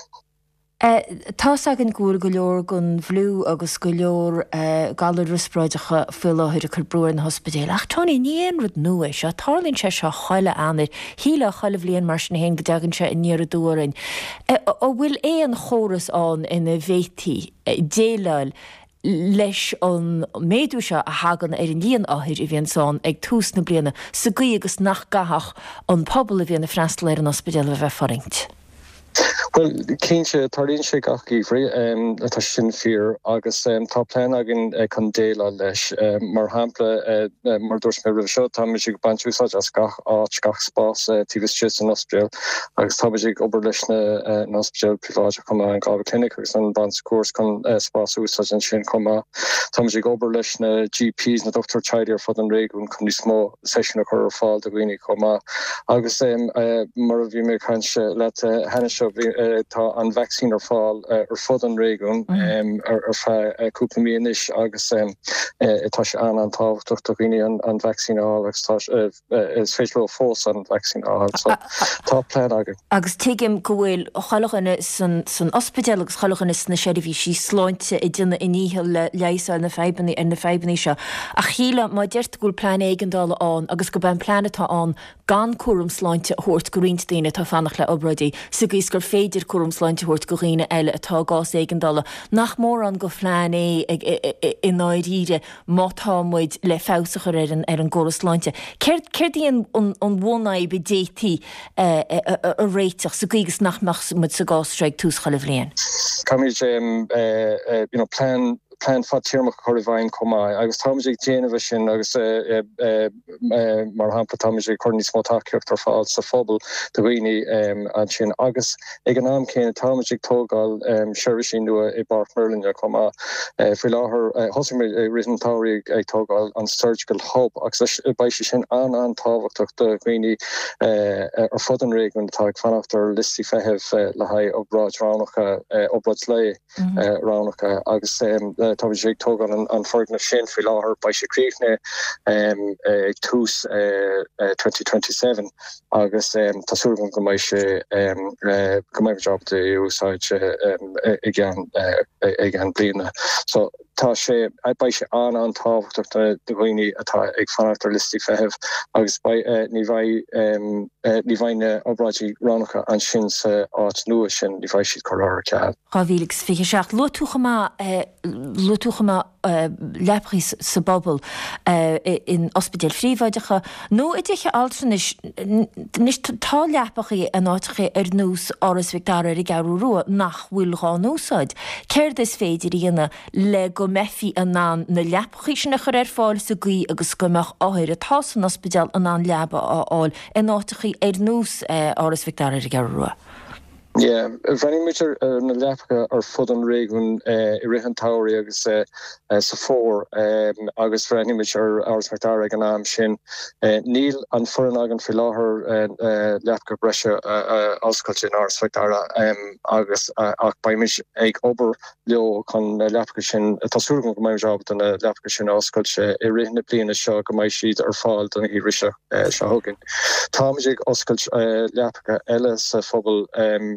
Tá's againn go bhfuil go leor den bhfliú agus go leor galair riospráideacha faoi láthair ag cur brú ar na hospidéil. Ach Tony, ní aon rud nua é seo. Tarlaíonn sé seo chuile Eanáir. Shílfeá chuile bhliain mar sin féin go dtagann sé aniar aduaidh orainn. An bhfuil aon chóras ann ina bhféadfaí déileáil leis an méadú seo a thagann ar an líon othair a bhíonns ann ag tús na bliana, sa gcaoi agus nach gcaithfeadh an pobal a bhíonn ag freastal ar an ospidéal a bheith ag fulaingt. Bhuel, cinnte, tarlaíonn sé gach geimhreadh, tá sé sin fíor, agus tá plean againn chun déileáil leis. Mar shampla, mar a dúirt mé roimhe seo, táimid ag baint úsáid as gach áit, gach spás taobh istigh den ospidéal agus táimid ag obair leis na hospidéil phríobháideacha chomh maith, an Galway Clinic agus an Bon Secours chun spás a úsáid ansin chomh maith. Táimid ag obair leis na GPs, na dochtúirí teaghlaigh ar fud an réigiúin chun níos mó seisiún a chur ar fáil do dhaoine chomh maith. Agus mar a bhí mé ag caint leat cheana seo, tá an vacsaín ar fáil ar fud an réigiúin ar feadh cúpla mí anois agus tá sé an-an-tábhachtach do dhaoine an vacsaín a fháil agus tá is féidir leo fós an vacsaín a fháil. So tá plean againn. Agus tuigim go bhfuil chuile dhuine san ospidéal agus chuile dhuine sna seirbhísí sláinte ag déanamh a ndícheall le leigheas a fháil na fadhbanna ar na fadhbanna seo. Ach shílfeá má deir tú go bhfuil plean éigeandála ann agus gurb é an plean atá ann gan cúram sláinte a thabhairt go roinnt daoine atá ag fanacht le obráidí, sa gcaoi is gur féidir cúram sláinte a thabhairt go dhaoine eile atá i gcás éigeandála, nach mórán de phlean é i ndáiríre má tá muid le feabhas a chur ar an ar an gcóras sláinte. Céard céard í an an bhunfhadhb a d'fhéadfaí a réiteach sa gcaoi agus nach mbeadh muid sa gcás seo ag tús chuile bhliain? Caithfimid you know plean plean fadtéarmach a chur i bhfeidhm chomh maith agus táimid ag déanamh é sin agus mar shampla táimid ag cur níos mó tacaíocht ar fáil sa phobal do dhaoine ansin agus Ag an am céanna, táimid ag tógáil seirbhísí nua i bPáirc Merlin chomh maith. Faoi láthair, thosaigh muid i rith an tsamhraidh ag tógáil an Surgical Hub agus beidh sé sin an-an-tábhachtach do dhaoine ar fud an réigiúin atá ag fanacht ar liostaí feithimh le haghaidh obráid roghnacha, obráid lae roghnacha agus táimid ag tógáil an foirgneamh sin faoi láthair. Beidh sé críochnaithe ag tús 2027. agus tá súil agam go mbeidh sé, go mbeidh muid ábalta é a úsáid i gceann, i gceann bliana. So tá sé, beidh sé an-an-tábhachtach do dhaoine atá ag fanacht ar liostaí feithimh agus beidh, ní bheidh, ní bheidh na obráidí roghnacha ansin sa áit nua sin, ní bheidh siad curtha ar ceal. 2027. Luaigh tú chomh maith, luaigh tú chomh maith leapachaí sa bpobal, in ospidéil phríobháideacha nó i dtithe altranais. Anois tá leapachaí in áiteacha ar nós Áras Mhic Dara ar an gCeathrú Rua nach bhfuil dhá n-úsáid. Céard is féidir a dhéanamh le go mbeifí in ann na leapachaí sin a chur ar fáil sa gcaoi agus go mbeadh othair atá san ospidéal in ann leaba a fháil in áiteachaí ar nós Áras Mhic Dara ar an gCeathrú Rua? Yeah, bhreathnaigh muid ar na leapacha ar fud an réigiúin i rith an tsamhraidh agus sa fómhar agus bhreathnaigh muid ar Áras Mhic Dara ag an am sin. Níl an foireann againn faoi láthair leapacha breise a oscailt in Áras Mhic Dara agus ach beidh muid ag obair leo chun na leapacha sin, tá súil agam go mbeidh muid ábalta na leapacha sin a oscailt i rith na bliana seo go mbeidh siad ar fáil don gheimhreadh seo chugainn. Táimid ag oscailt leapacha eile sa phobal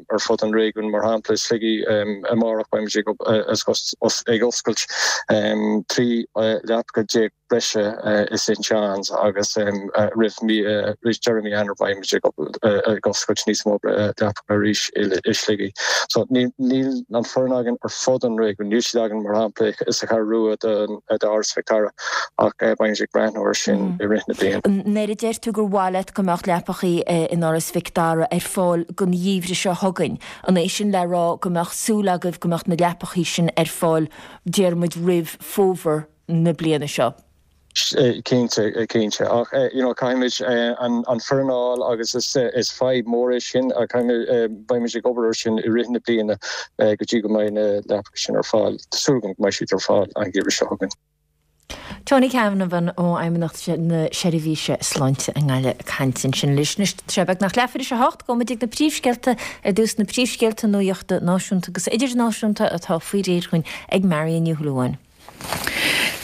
ar fud an réigiúin, mar shampla i Sligigh amárach beimid ag oscailt 13 leapacha breise i St John's agus roimh deireadh mí Eanáir beimid ag oscailt níos mó leapacha arís i Sligigh. So níl an foireann againn ar fud an réigiúin, níl siad againn mar shampla sa Cheathrú Rua d'Áras Mhic Dara ach beimid ag breathnú air sin i rith na bliana. Nuair a deir tú gur mhaith leat go mbeadh leapachaí in Áras Mhic Dara ar fáil don gheimhreadh seo chugainn, an é sin le rá go mbeadh súil agaibh go mbeadh na leapachaí sin ar fáil déarfaidh muid roimh fómhar na bliana seo. Cinnte, cinnte. Ach you know caithfimid an foireann a fháil agus is fadhb mór é sin ach caithfimid, beimid ag obair ar sin i rith na bliana go dtí go mbeidh na leapacha sin ar fáil. Tá súil agam go mbeidh siad ar fáil an geimhreadh seo chugainn. Tony Canavan ó Fheidhmeannacht na Seirbhíse Sláinte i nGaillimh ag caint ansin leis. Anois tá sé beagnach leathuair tar éis a hocht, gabhfaidh muid ag na príomhscéalta ar dtús, na príomhscéalta nuachta náisiúnta agus idirnáisiúnta atá faoi réir dhúinn ag Marion Ní Shúilleabháin.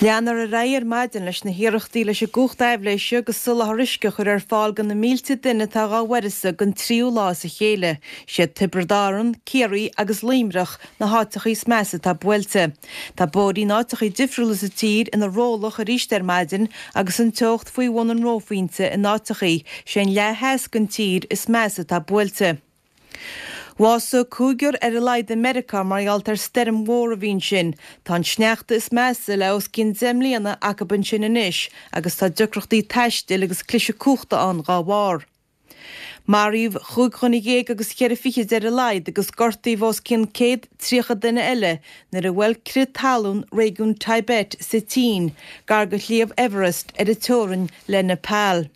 Leanfar ar aghaidh ar maidin leis na hiarrachtaí leis an gcumhacht aibhléise agus soláthar uisce a chur ar fáil do na mílte duine atá dhá uireasa don tríú lá as a chéile. Siad Tiobraid Árann, Ciarraí agus Luimneach na háiteachaí is measa atá buailte. Tá bóithrí in áiteachaí difriúla sa tír ina rollach arís ar maidin agus an teocht faoi bhun an reophointe in áiteachaí. Sé an leath theas den tír is measa atá buailte. Bhásaigh cúigear ar a laghad i Meiriceá mar gheall ar stoirm mhór a bhí ansin. Tá an sneachta is measa le os cionn 10 mbliana acub ansin anois agus tá deacrachtaí taistil agus cliseadh cumhachta ann dhá bharr. Maraíodh chúig dhuine dhéag agus cheithre fichid ar a laghad agus gortaíodh os cionn 130 duine eile nuair a bhuail crith talún réigiún Tibet sa tSín, gar do Shliabh Everest ar an teorainn le Nepal.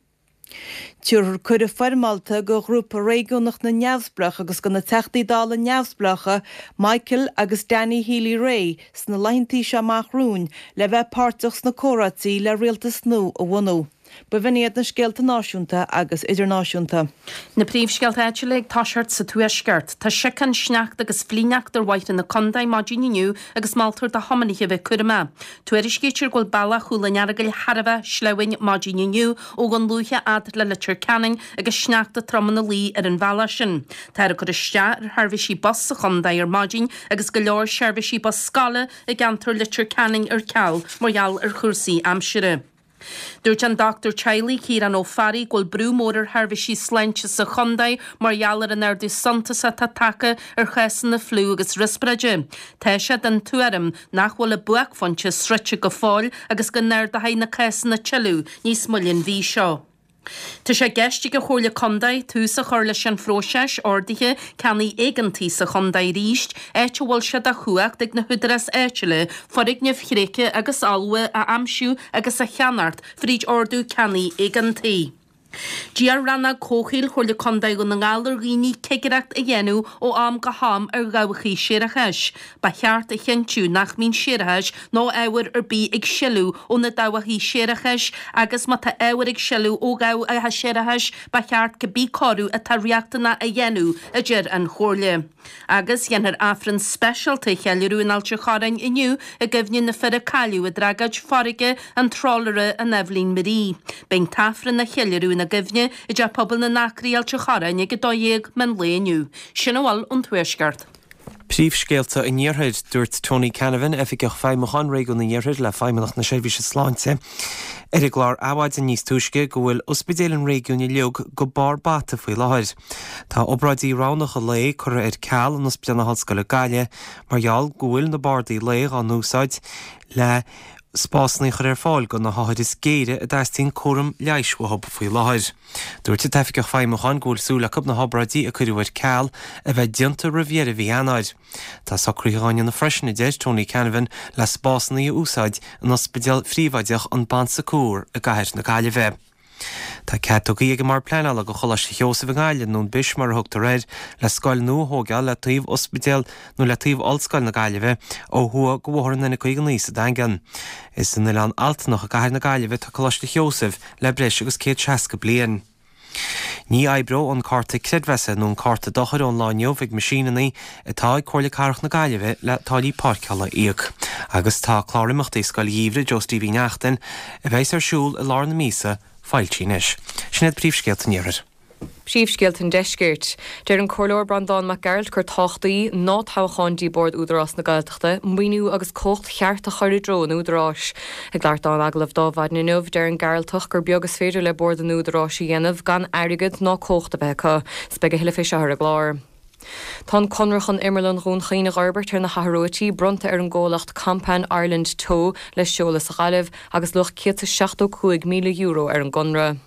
Tabharfar cuireadh foirmeálta do Ghrúpa Réigiúnach na Neamhspleách agus do na Teachtaí Dála neamhspleácha Michael agus Danny Healy-Rae sna laethantaí seo amach romhainn le bheith páirteach sna comhráití le rialtas nua a bhunú. B'in iad na scéalta náisiúnta agus idirnáisiúnta. Na príomhscéalta áitiúla ag toiseacht sa Tuaisceart. Tá siocán, sneachta agus flichshneachta ar bhóithre na contae maidin inniu agus moltar do thiománaithe a bheith cúramach. Tuairiscítear go bhfuil bealach Chúil an Earagail thar a bheith sleamhain maidin inniu ó Dhún Lúiche fhad le Leitir Ceanainn agus sneachta trom ina luí ar an bhealach sin. Táthar ag cur isteach ar sheirbhísí bus sa chontae ar maidin agus go leor seirbhísí bus scoile i gceantar Leitir Ceanainn ar ceal mar gheall ar chúrsaí aimsire. Dúirt an dochtúir teaghlaigh Ciarán Ó Fearraigh go bhfuil brú mór ar sheirbhísí sláinte sa chontae mar gheall ar an ardú suntasach atá tagtha ar chásanna fliú agus riospráide. Tá sé den tuairim nach bhfuil an buaicphointe sroichte go fóill agus go n-ardóidh na cásanna tuilleadh níos moille an mhí seo. Tá sé i gceist ag an Chomhairle Contae tús a chur leis an phróiseas ordaithe ceannaigh éigeantaigh sa chontae arís, áit a bhfuil sé de chumhacht ag na húdaráis áitiúla foirgnimh thréigthe agus fholmha a aimsiú agus a cheannacht fríd ordú ceannaigh éigeantaigh. D'iarr Rannóg Comhshaoil Chomhairle Contae Dhún na nGall ar dhaoine cigireacht a dhéanamh ó am go ham ar dhabhacha séarachais. Ba cheart a chinntiú nach mbíonn séarachas nó ábhar ar bith ag sileadh ó na dabhacha séarachais agus má tá ábhar ag sileadh ó dhabhacha séarachais ba cheart cibé cóiriú atá riachtanach a dhéanamh, a deir an Chomhairle. Agus déanfar Aifreann speisialta a cheiliúradh in Ailt an Chorráin inniu i gcuimhne na fir a cailleadh i dtragóid farraige an trálaera an Eibhlín Marie. Beidh an tAifreann á cheiliúradh ina gcuimhne i dTeach Pobail na nAcraí, Ailt an Chorráin ag 12 meán lae inniu. Sin a bhfuil ón Tuaisceart. Príomhscéalta an Iarthair, Dúirt Tony Canavan, Oifigeach Feidhmiúcháin Réigiún an Iarthair le Feidhmeannacht na Seirbhíse Sláinte, ar an gclár Adhmhaidin níos túisce go bhfuil ospidéil an réigiúin uilig go barr bata faoi láthair. Tá obráidí roghnacha lae curtha ar ceal in Ospidéal na hOllscoile Gaillimh mar gheall go bhfuil na bardaí lae dhá n-úsáid le spásanna a chur ar fáil do na hothair is géire a dteastaíonn cúram leighis uathu faoi láthair. Dúirt an tOifigeach Feidhmiúcháin go bhfuil súil acu na hobráidí a cuireadh ar ceal a bheith déanta roimh dheireadh mhí Eanáir. Tá socruithe dhá ndéanamh freisin, a deir Tony Canavan, le spásanna a úsáid in ospidéal phríobháideach an Bon Secours i gcathair na Gaillimhe. Tá cead tugtha ag an mBord Pleanála do Choláiste Sheosaimh i nGaillimh, nó an Bish mar a thugtar air, le scoil nua a thóigeáil le taobh ospidéal nó le taobh Ollscoil na Gaillimhe ó thuaidh de Bhóthar an N59 sa Daingean. Is san Oileán Altanach i gcathair na Gaillimhe atá Coláiste Sheosaimh le breis agus 160 bliain. Ní oibreoidh an cárta creidmheasa nó an cárta dochair ón lá inniu ag meaisíneanna atá ag Comhairle Cathrach na Gaillimhe le táillí páirceála a íoc. Agus tá clár imeachtaí Scoil Gheimhridh Joe Steve Uí Neachtain, a bheas ar siúl i lár na míosa, foilsithe anois. Sin iad príomhscéalta an Iarthair. Príomhscéalta an Deiscirt. Deir an Comhairleoir Breandán Mac Gearailt gur tábhachtaí ná toghchán dtí Bord Údarás na Gaeltachta, maoiniú agus cumhacht cheart a chur i dtreo an Údaráis. Ag labhairt dó in agallamh d'Adhmhaidin inniu, deir an Gearaltach gur beag is féidir le Bord an Údaráis a dhéanamh gan airgead ná cumhacht a bheith acu. 'S beidh a thuilleadh fé seo ar an gclár. Tá an conradh chun Imearlann Dhún Chaoin a dh'fhorbairt ar na hAthróití bronnta ar an gcomhlacht Kompan Ireland Teo le seoladh sa Ghaillimh agus luach €175,000 ar an gconradh.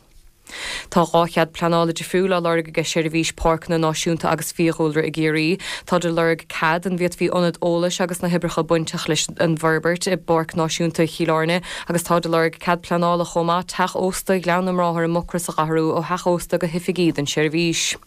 Tá 2 chead pleanála difriúil á lorg aige Seirbhís Páirceanna Náisiúnta agus Fiadhúlra i gCiarraí. Táid ag lorg cead an bhféadfaí ionad eolais agus na hoibreacha bainteach leis an bhforbairt i bPáirc Náisiúnta Chill Airne agus táid ag lorg cead pleanála chomh maith teach ósta Ghleann na mBráthar i Mucros a dh'athrú ó theach ósta go hoifigí don tseirbhís.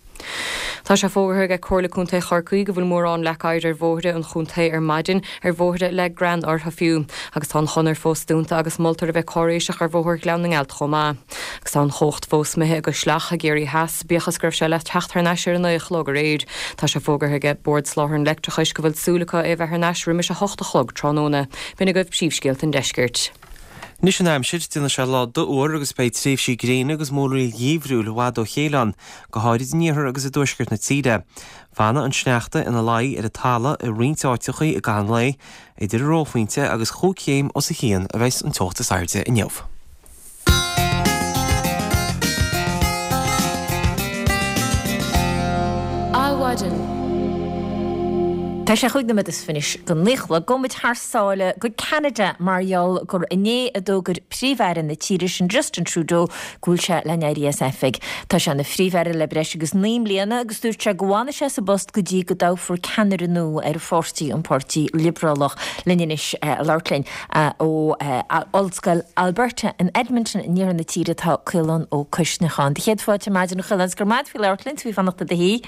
Tá sé fógartha aige Comhairle Contae Chorcaí go bhfuil mórán leac oighir ar bhóithre an chontae ar maidin, ar bhóithre le grean orthu fiú, agus tá an chonair fós dúnta agus moltar a bheith cáiréiseach ar Bhóthar Ghleann na nGealt chomh maith. Agus tá an chumhacht fós imithe i gCois Leach i gCiarraí Theas, bíodh is go raibh sé le teacht thar n-ais ar a 9 a chlog aréir. Tá sé fógartha aige Bord Soláthair an Leictreachais go bhfuil súil acu é a bheith thar n-ais roimis a 8 a chlog tráthnóna. B'in agaibh príomhscéalta an deiscirt. Anois an aimsir, déanfaidh sé lá dofhuar agus beidh tréimhsí gréine agus múraíl gheimhriúil i bhfad ó chéile ann, go háirid in iarthar agus i dtuaisceart na tíre. Fanfaidh an sneachta ina luí ar an talamh i roinnt áiteachaí i gcaitheamh an lae. Idir an reophointe agus chúig chéim os a chionn a bheas an teocht is airde inniu. Adhmhaidin. Tá sé chúig nóiméad is fiche go naoi a chlog. Gabhfaidh muid thar sáile go Ceanada mar gheall gur inné a d'fhógair Príomh-Aire na tíre sin Justin Trudeau go bhfuil sé le n-éirí as oifig. Tá sé ina Phríomh-Aire le breis agus 9 mbliana agus dúirt sé go bhfanfaidh sé sa bpost go dtí go dtoghfar ceannaire nua ar a pháirtí, an Páirtí Liobrálach. Linn anois ag labhairt linn ó Ollscoil Alberta in Edmonton in iarthar na tíre tá Caolán Ó Coisneacháin. Do chéad fáilte ar maidin a Chaoláin, go raibh maith agat faoi labhairt linn, is faoi fanacht i do shuí.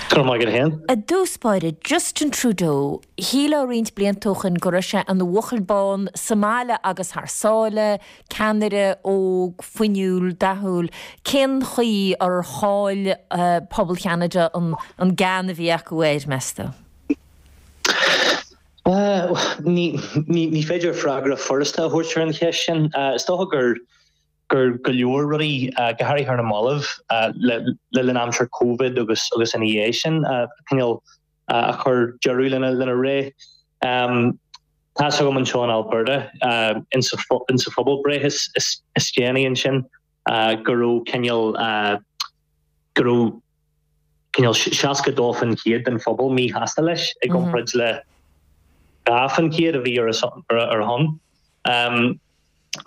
Go raibh maith agat féin. I dtús báire, Justin Trudeau, shílfeá roinnt blianta ó shoin go raibh sé ina bhuachaill bán sa mbaile agus thar sáile, ceannaire óg, fuinniúil, dathúil. Cén chaoi ar chaill pobal Cheanada an gean a bhí acu air, meas tú? Ní féidir freagra furasta a thabhairt ar an cheist sin. Is dócha gur gur go leor rudaí, go háirithe ar na mallaibh, le linn aimsir Covid agus agus ina dhiaidh sin, cineál a chuir deireadh lena lena ré. Tá's agam anseo in Alberta, insa insa phobalbhreith is is is déanaí ansin, go raibh cineál go raibh cineál 62% den phobal míshásta leis i gcomparáid le 2% a bhí ar a ar a shon.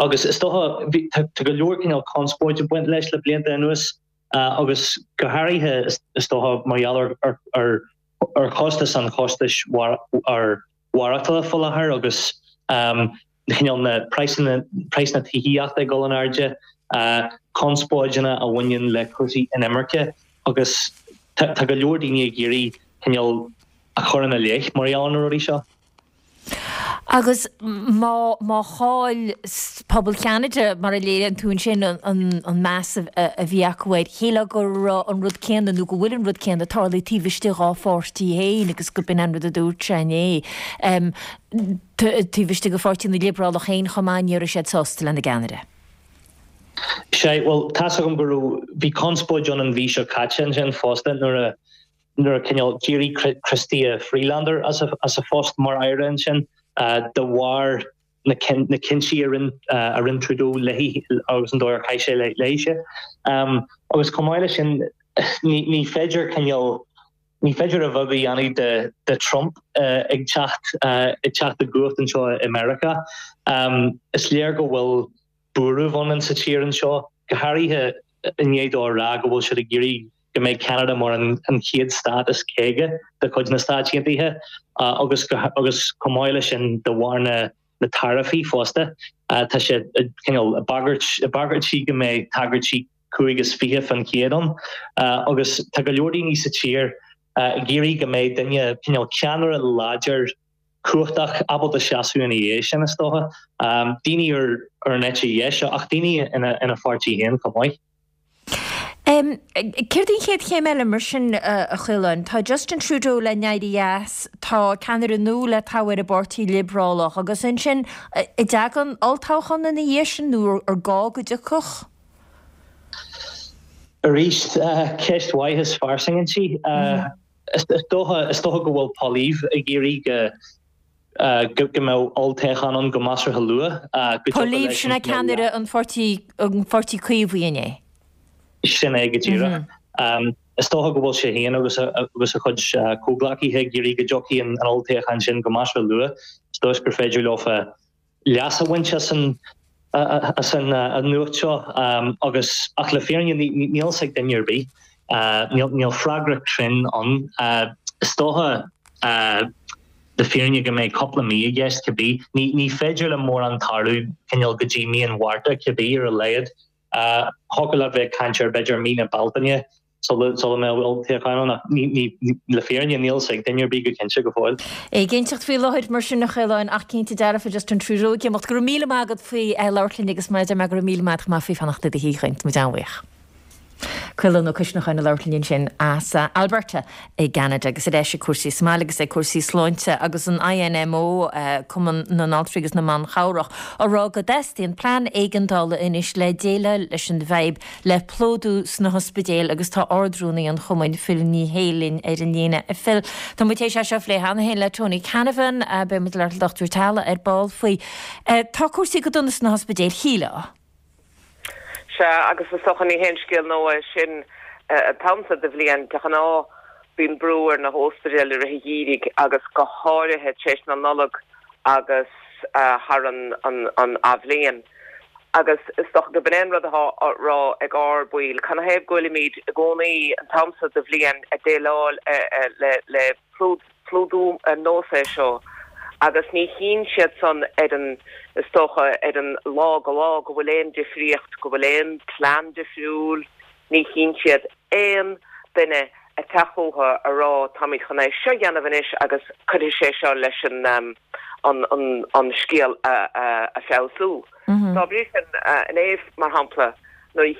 Agus is dócha, tá go leor cineál conspóid ag baint leis le blianta anuas agus go háirithe is dócha mar gheall ar ar chostas an chostais mhaireachtála faoi láthair agus cineál na praghsanna praghsanna tithíochta ag dul in airde, conspóideanna a bhaineann le cúrsaí inimirce agus tá go leor daoine ag iarraidh cineál a chur ina leith mar gheall ar na rudaí seo. Agus má, má chaill pobal Cheanada, mar a léiríonn tú ansin, an meas a bhí acu air, shílfeá go raibh an rud céanna, nó go bhfuil an rud céanna, ag tarlú taobh istigh dhá pháirtí féin agus go b'in an rud a dúirt sé inné. Taobh istigh de Pháirtí na Liobrálach féin chomh maith, ní raibh siad sásta lena gceannaire. Sea, bhuel, tá's agam go raibh, bhí conspóid ann an mhí seo caite ansin fosta nuair a, nuair a cineál d'éirigh Chrystia Freelander as a phost mar aire ansin de bharr na cinntí a rinne Trudeau léi agus an dóigh ar chaith sé léise. Agus chomh maith leis sin ní féidir cineál ní féidir a bheag a dhéanamh de Trump ag teacht ag teacht i gcumhacht anseo i Meiriceá. Is léir go bhfuil buaireamh ann sa tír anseo, go háirithe i ndiaidh dó a rá go bhfuil siad ag iarraidh go mbeidh Ceanada mar an chéad stát is 50 de chuid na Stáit Aontaithe agus agus chomh maith leis sin de bharr na na taraifí fosta tá sé cineál ag bagairt ag bagairtí go mbeidh tagairtí 25% ann agus tá go leor daoine sa tír ag iarraidh go mbeidh duine cineál ceannaire láidir cumhachtach, ábalta seasamh ina dhiaidh sin, is dócha. Daoine ar an eite dheis, ach daoine ina pháirtí féin chomh maith. Céard í an chéad chéim eile mar sin, a Chaoláin? Tá Justin Trudeau le n-éirí as, tá ceannaire nua le toghadh ar an bPáirtí Liobrálach agus ansin, an dtagann olltoghchán ina dhiaidh sin nó ar gá go dtiocfadh? Arís, ceist mhaith is fairsing inti. Is dócha, is dócha go bhfuil Poilievre ag iarraidh go, go mbeadh olltoghchán ann go measartha luath, go dtiocfadh Poilievre, leis sin é ceannaire an pháirtí, an pháirtí Caomhaigh, an é? Sin é go díreach. Is dócha go bhfuil sé féin agus agus a chuid comhghleacaithe ag iarraidh go dtiocfaidh an olltoghchán sin go measartha luath, is dóigh gur féidir leofa leas a bhaint as an. as an nuacht seo agus ach le fírinne níl fhios ag duine ar bith. Níl freagra cruinn ann. Is dócha le fírinne go mbeidh cúpla mí i gceist cibé. Ní féidir le mórán tarlú cineál go dtí mí an Mhárta cibé ar a laghad. Thiocfadh leat bheith ag caint ar b'fhéidir mí na Bealtaine sula mbeadh olltoghchán ann ach le fírinne níl fhios ag duine ar bith go cinnte go fóill. Éiginnteacht faoi láthair mar sin a Chaoláin ach cinnte dearfa just an tríú ag imeacht. Go raibh míle maith agat faoi labhairt linn agus mar a deir mé go raibh míle maith agat chomh maith faoi fanacht i do shuí. Tá muid an-bhuíoch. Caolán Ó Coisneacháin ag labhairt linn ansin as Alberta i gCeanada agus ar ais ag cúrsaí sa mbaile agus ag cúrsaí sláinte agus an INMO, Cumann na nAltraí agus na mBan Chabhrach, á rá go dteastaíonn plean éigeandála anois le déileáil leis an bhfadhb le plódú sna hospidéil agus tá Ard-Rúnaí an Chumainn, Phil Ní Sheaghdha linn ar an líne. A Phil, tá muid théis é seo a phlé cheana féin le Tony Canavan, beidh muid ag labhairt le Dochtúir teaghlaigh ar ball faoi. Tá cúrsaí go dona sna hospidéil, shílfeá. Sea, agus is dócha ní haon scéal nua é sin an t-am seo de bhliain. De ghnáth bíonn brú ar na hóspidéil i rith an gheimhridh agus go háirithe tar éis na Nollag agus thar an athbhliain. Agus is dócha gurb in é an rud atá á rá ag ár baill, canathaobh go bhfuilimid i gcónaí an t-am seo de bhliain ag déileáil le plódú ar nós é seo agus ní chíonn siad san ar an, is dócha, ar an lá go lá go bhfuil aon difríocht, go bhfuil aon plean difriúil, ní chíonn siad aon duine ag teacht chucu a rá táimid chun é seo a dhéanamh anois agus cuirfidh sé seo leis an an an scéal a a feabhsú. Dá bhrí sin, inné, mar shampla, nuair a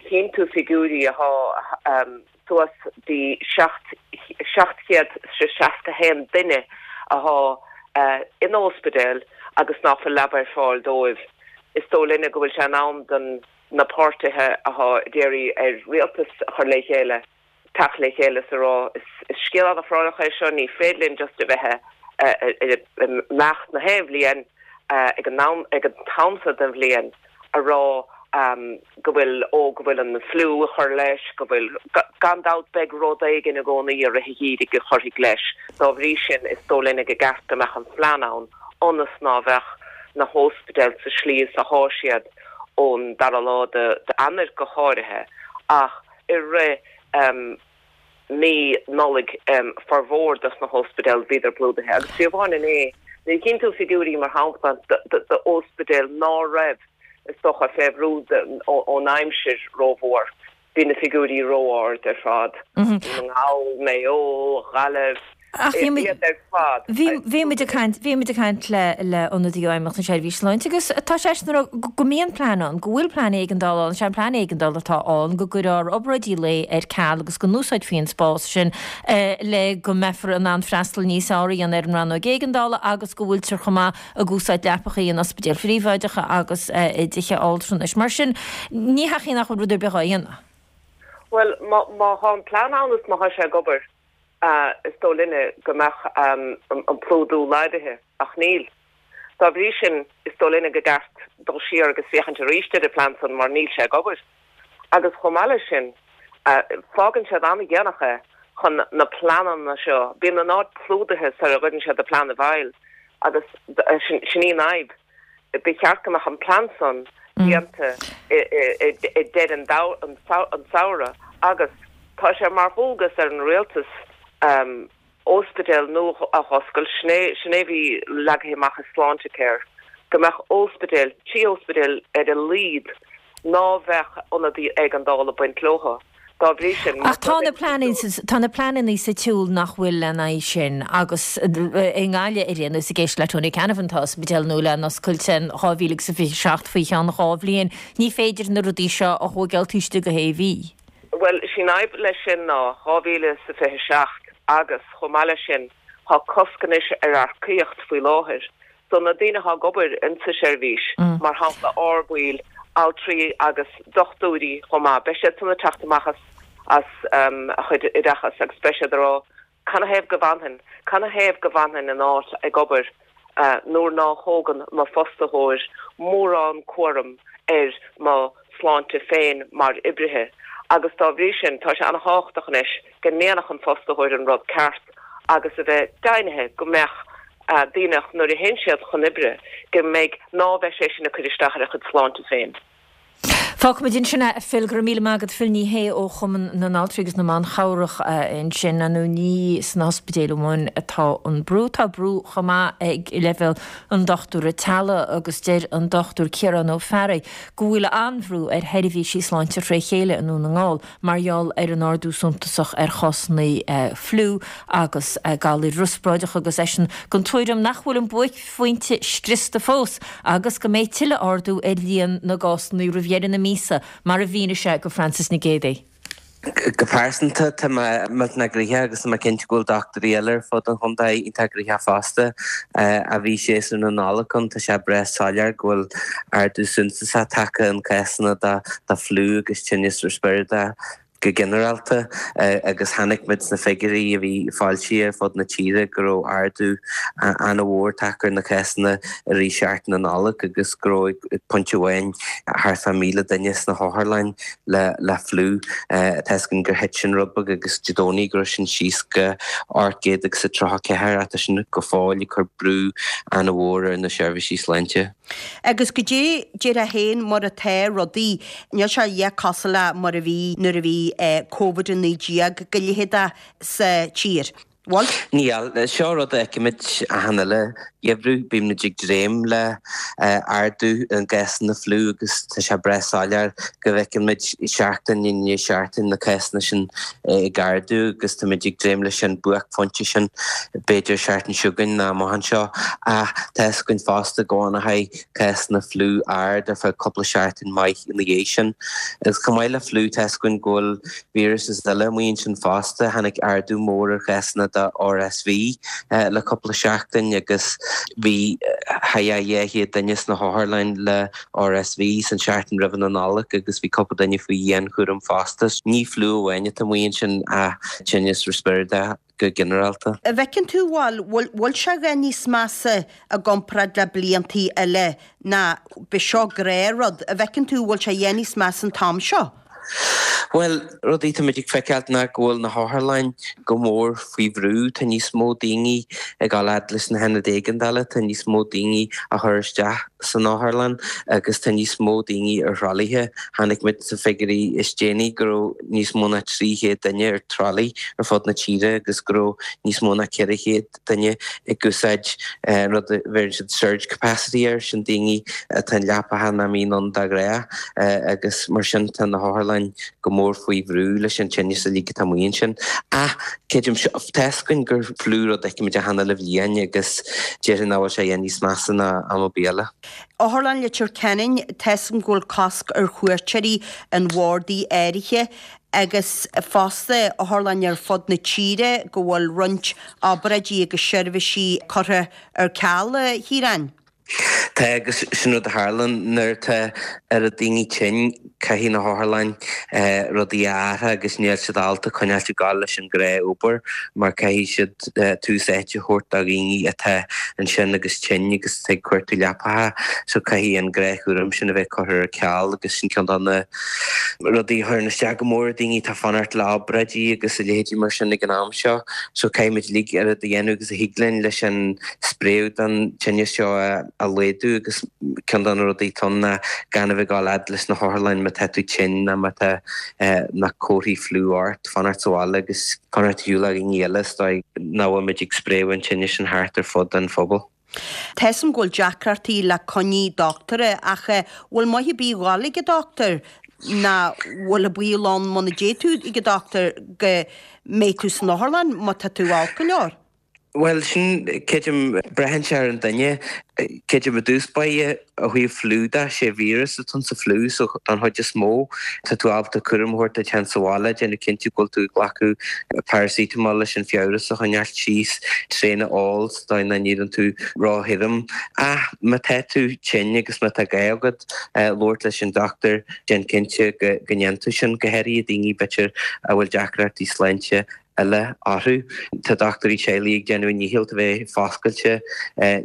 chíonn tú figiúirí athá suas dtí 761 duine athá in óspidéal agus nach bhfuil leaba ar fáil dóibh. Is dóigh linne go bhfuil sé in am don na páirtithe athá ag iarraidh ar rialtas a chur le chéile teacht le chéile is a rá is scéal an-phráinneach é seo, ní féidir linn just a bheith ag imeacht na haon bhliain ag an t-am seo den bhliain. a rá go bhfuil, ó, go bhfuil an fliú ag cur leis, go bhfuil, gan dabht beidh rud éigin i gcónaí i rith an gheimhridh a chuirfidh leis. Dá bhrí sin, is dóigh linne go gceart go mbeadh an phlean ann ionas ná bheadh na hóspidéil sa slí is athá siad ón dara lá d'Eanáir go háirithe ach i rith mí Nollaig formhór dos na hóspidéil bhíodar plódaithe agus fiú amháin inné nuair a chíonn tú figiúirí mar shampla d'óspidéil ná raibh is dócha fé bhrú ón aimsir rómhór bhí na figiúirí ró-ard ar fad. Dún na nGall, Maigh Eo, Gaillimh, Ach bhí muid, iad ar fad. Bhí muid ag caint, bhí muid ag caint le le ionadaí ó Fheidhmeannacht na Seirbhíse Sláinte agus tá seisean ag rá go mbíonn plean ann, go bhfuil plean éigeandála ann, sé an plean éigeandála atá ann go gcuirfear obráidí lae ar ceal agus go n-úsáidfí an spás sin le go mbeifear in ann freastal níos fearr a dhéanamh ar an rannóg éigeandála agus go bhfuiltear chomh maith ag úsáid leapacha in ospidéil phríobháideacha agus i dtithe altranais. Mar sin, ní hea nach bhfuil rud ar bith á dhéanamh. Bhuel, má tá an plean ann is má tá sé ag obair, is dóigh linne go mbeadh an plódú laghdaithe, ach níl. Dá bhrí sin, is dóigh linne go gceart dul siar agus féachaint arís ar an bplean san mar níl sé ag obair. Agus chomh maith leis sin, fágann siad an-dhéanach é chun na pleananna seo, bíonn an áit plódaithe sar a gcuireann siad an plean i bhfeighil agus sin í an fhadhb. Ba cheart go mbeadh an plean san déanta i deireadh an tsamhraidh agus tá sé mar dhualgas ar an rialtas óspidéal nua a dh'oscailt, sin é sin é bhí leagtha amach i Sláintecare, go mbeadh óspidéal, 3 óspidéal ar a laghad ná bheadh ionadaí éigeandála ag baint leothu. Dá bhrí sin, Ach tá na pleananna, tá na pleananna sa tsiúl nach bhfuil lena aghaidh sin agus i nGaillimh ar aon nós ag éisteacht le Tony Canavan tá ospidéal nua le n-oscailt in 2027 faoi cheann 2 bhliain. Ní féidir na rudaí seo a thóigeáil taobh istigh de shé mhí. Bhuel, is í an fhadhb leis sin ná 2027 agus chomh maith leis sin tá cosc anois ar earcaíocht faoi láthair. So na daoine atá ag obair insa seirbhís, mar shampla ár baill, altraí agus dochtúirí chomh maith, beidh siad san ag teacht amach as as a chuid oideachas agus beidh siad ag rá canathaobh go bhfanfainn, canathaobh go bhfanfainn in áit ag obair nuair ná thógann mo fostaitheoir mórán cúram ar mo shláinte féin mar oibrithe agus dá bhrí sin tá sé an-thábhachtach anois go ndéanfadh an fostaitheoir an rud ceart agus a bheith deimhnithe go mbeadh. daoine nuair a théann siad chun oibre go mbeidh, ná beidh sé sin ag cur isteach ar a chuid sláinte féin. Fágfaimid ansin é, a Phil. Go raibh míle maith agat, Phil Ní Sheaghdha ó Chumann na nAltraí agus na mBan Chabhrach ansin. Ar ndóigh ní sna hospidéil amháin atá an brú, tá brú chomh maith ag leibhéal an dochtúra teaghlaigh agus deir an Dr Ciarán Ó Fearraigh go bhfuil an-bhrú ar sheirbhísí sláinte fré chéile i nDún na nGall mar gheall ar an ardú suntasach ar chásanna fliú agus galair riospráideacha agus eisean den tuairim nach bhfuil an buaicphointe scriosta fós agus go mbeidh tuilleadh ardú ar líon na gcásanna roimh dheireadh na míosa, mar a mhínigh sé go Frances Nic Géadaigh. Go pearsanta, tá mé millteanach gnoitheach agus tá mé cinnte go bhfuil dochtúirí eile ar fud an chontae iontach gnoitheach fosta. Ó bhí séasúr na Nollag ann, tá sé breá soiléir go bhfuil ardú suntasach tagtha in cásanna de fliú agus tinneas riospráide. Go ginearálta, agus chonaic muid sna figiúirí a bhí foilsithe ar fud na tíre go raibh ardú an-mhór tagtha ar na cásanna i rith seachtain na Nollag agus go raibh ag pointe amháin thart fá 1,000 duine sna hotharlanna le fliú. Tá fhios againn gur thit sin rud beag agus Dé Domhnaigh go raibh sin síos go 834 ach tá sin go fóill ag cur brú an-mhór ar na seirbhísí sláinte. Agus goidé déarfá féin mar atá rudaí, níl sé a dhath cosúil le mar a bhí nuair a bhí Covid-19 go leitheadach sa tír, bhfuil? Níl. Seo rud a fheicimid achan uile gheimhreadh, bímid ag dréim le ardú i gcásanna fliú agus tá sé breá soiléir go bhfeicimid seachtain i ndiaidh seachtain na cásanna sin ag ardú agus táimid ag dréim leis an buaicphointe sin b'fhéidir seachtain seo chugainn nó amach anseo ach tá fhios againn fosta go bhfanfaidh cásanna fliú ard ar feadh cúpla seachtain maith ina dhiaidh sin. Agus chomh maith le fliú tá fhios againn go bhfuil víreases eile amuigh ansin fosta. Tháinig ardú mór ar chásanna de RSV le cúpla seachtain agus bhí thar 200 duine sna hotharlanna le RSV san seachtain roimh na Nollag agus bhí cúpla duine faoi dhianchúram fosta. Ní fliú amháin atá amuigh ansin ach tinneas riospráide go ginearálta. An bhfeiceann tú, bhfuil, bhfuil sé a dhath níos measa i gcomparáid le bliantaí eile ná b'é seo gnáthrud? An bhfeiceann tú, bhfuil sé a dhath níos measa an t-am seo? Bhuel, rudaí tá muid ag feiceáilt ná go bhfuil na hotharlanna go mór faoi bhrú. Tá níos mó daoine ag dul fhad leis na hionaid éigeandála, tá níos mó daoine á chur isteach san otharlann agus tá níos mó daoine ar thralaithe. Chonaic muid sna figiúirí is déanaí go raibh níos mó ná 300 duine ar tralaí ar fud na tíre agus go raibh níos mó ná 400 duine ag úsáid rud a bheireann siad surge capacity air, sin daoine atá in leapacha nach mbíonn ann de ghnáth agus mar sin tá na hotharlanna go mór faoi bhrú leis an tinneas uilig atá amuigh ansin. Ach creidim, tá fhios againn gur fliú rud a fheicimid achan uile bhliain agus déarfainn nach bhfuil sé a dhath níos measa ná am ar bith eile. Otharlann Leitir Ceanainn, tá fhios agam go bhfuil cosc ar chuairteoirí in bhardaí áirithe agus fosta otharlann ar fud na tíre go bhfuil roinnt obráidí agus seirbhísí curtha ar ceal, a Chiaráin. Tá, agus sin rud a tharlann nuair atá oiread daoine tinn, caithfidh na hotharlanna rudaí a athrú agus níl siad ábalta coinneáilt ag gabháil leis an gnáth-obair mar caithfidh siad tús áite a thabhairt do dhaoine atá ansin agus tinn agus atá ag cuartú leapacha so caithfidh an gnáthchúram sin a bheith curtha ar ceal agus sin ceann de na rudaí a chuireann isteach go mór ar daoine atá ag fanacht le obráidí agus a leithéidí mar sin ag an am seo. So caithfidh muid uilig oiread a dhéanamh agus a thig linn leis an spréadh den tinneas seo a laghdú agus ceann de na rudaí atá ann ná gan a bheith ag dul fhad leis na hotharlanna má tá tú tinn nó má tá na comharthaí fliú ort, fanacht sa bhaile agus fanacht ar shiúl ó dhaoine eile is dóigh nach bhfuil muid ag spréadh an tinnis sin thart ar fud an phobail. Tá fhios a'm go bhfuil deacrachtaí le coinní doctúra ach bhfuil maith ar bith dhul ag an doctúir ná bhfuil an baol ann muna dté tú ag an doctúir go mbeidh tú san otharlann má tá tú olc go leor? Bhuel, sin, creidim, braitheann sé ar an duine. Creidim i dtús báire, ó thaobh fliú de, sé víreas atá sa fliú so don chuid is mó, tá tú ábalta cúram a thabhairt duit féin sa bhaile, déanamh cinnte go bhfuil tú ag glacadh paracetamol leis an fiabhras a choinneáilt síos, tréan a ól sa dóigh nach n-éiríonn tú ró-thirim. Ach má tá tú tinn agus má tá gá agat labhairt leis an dochtúir, déan cinnte go ndéanann tú sin, go háirithe daoine b'fhéidir a bhfuil deacrachtaí sláinte. eile orthu. Tá dochtúirí teaghlaigh ag déanamh a ndícheall a bheith foscailte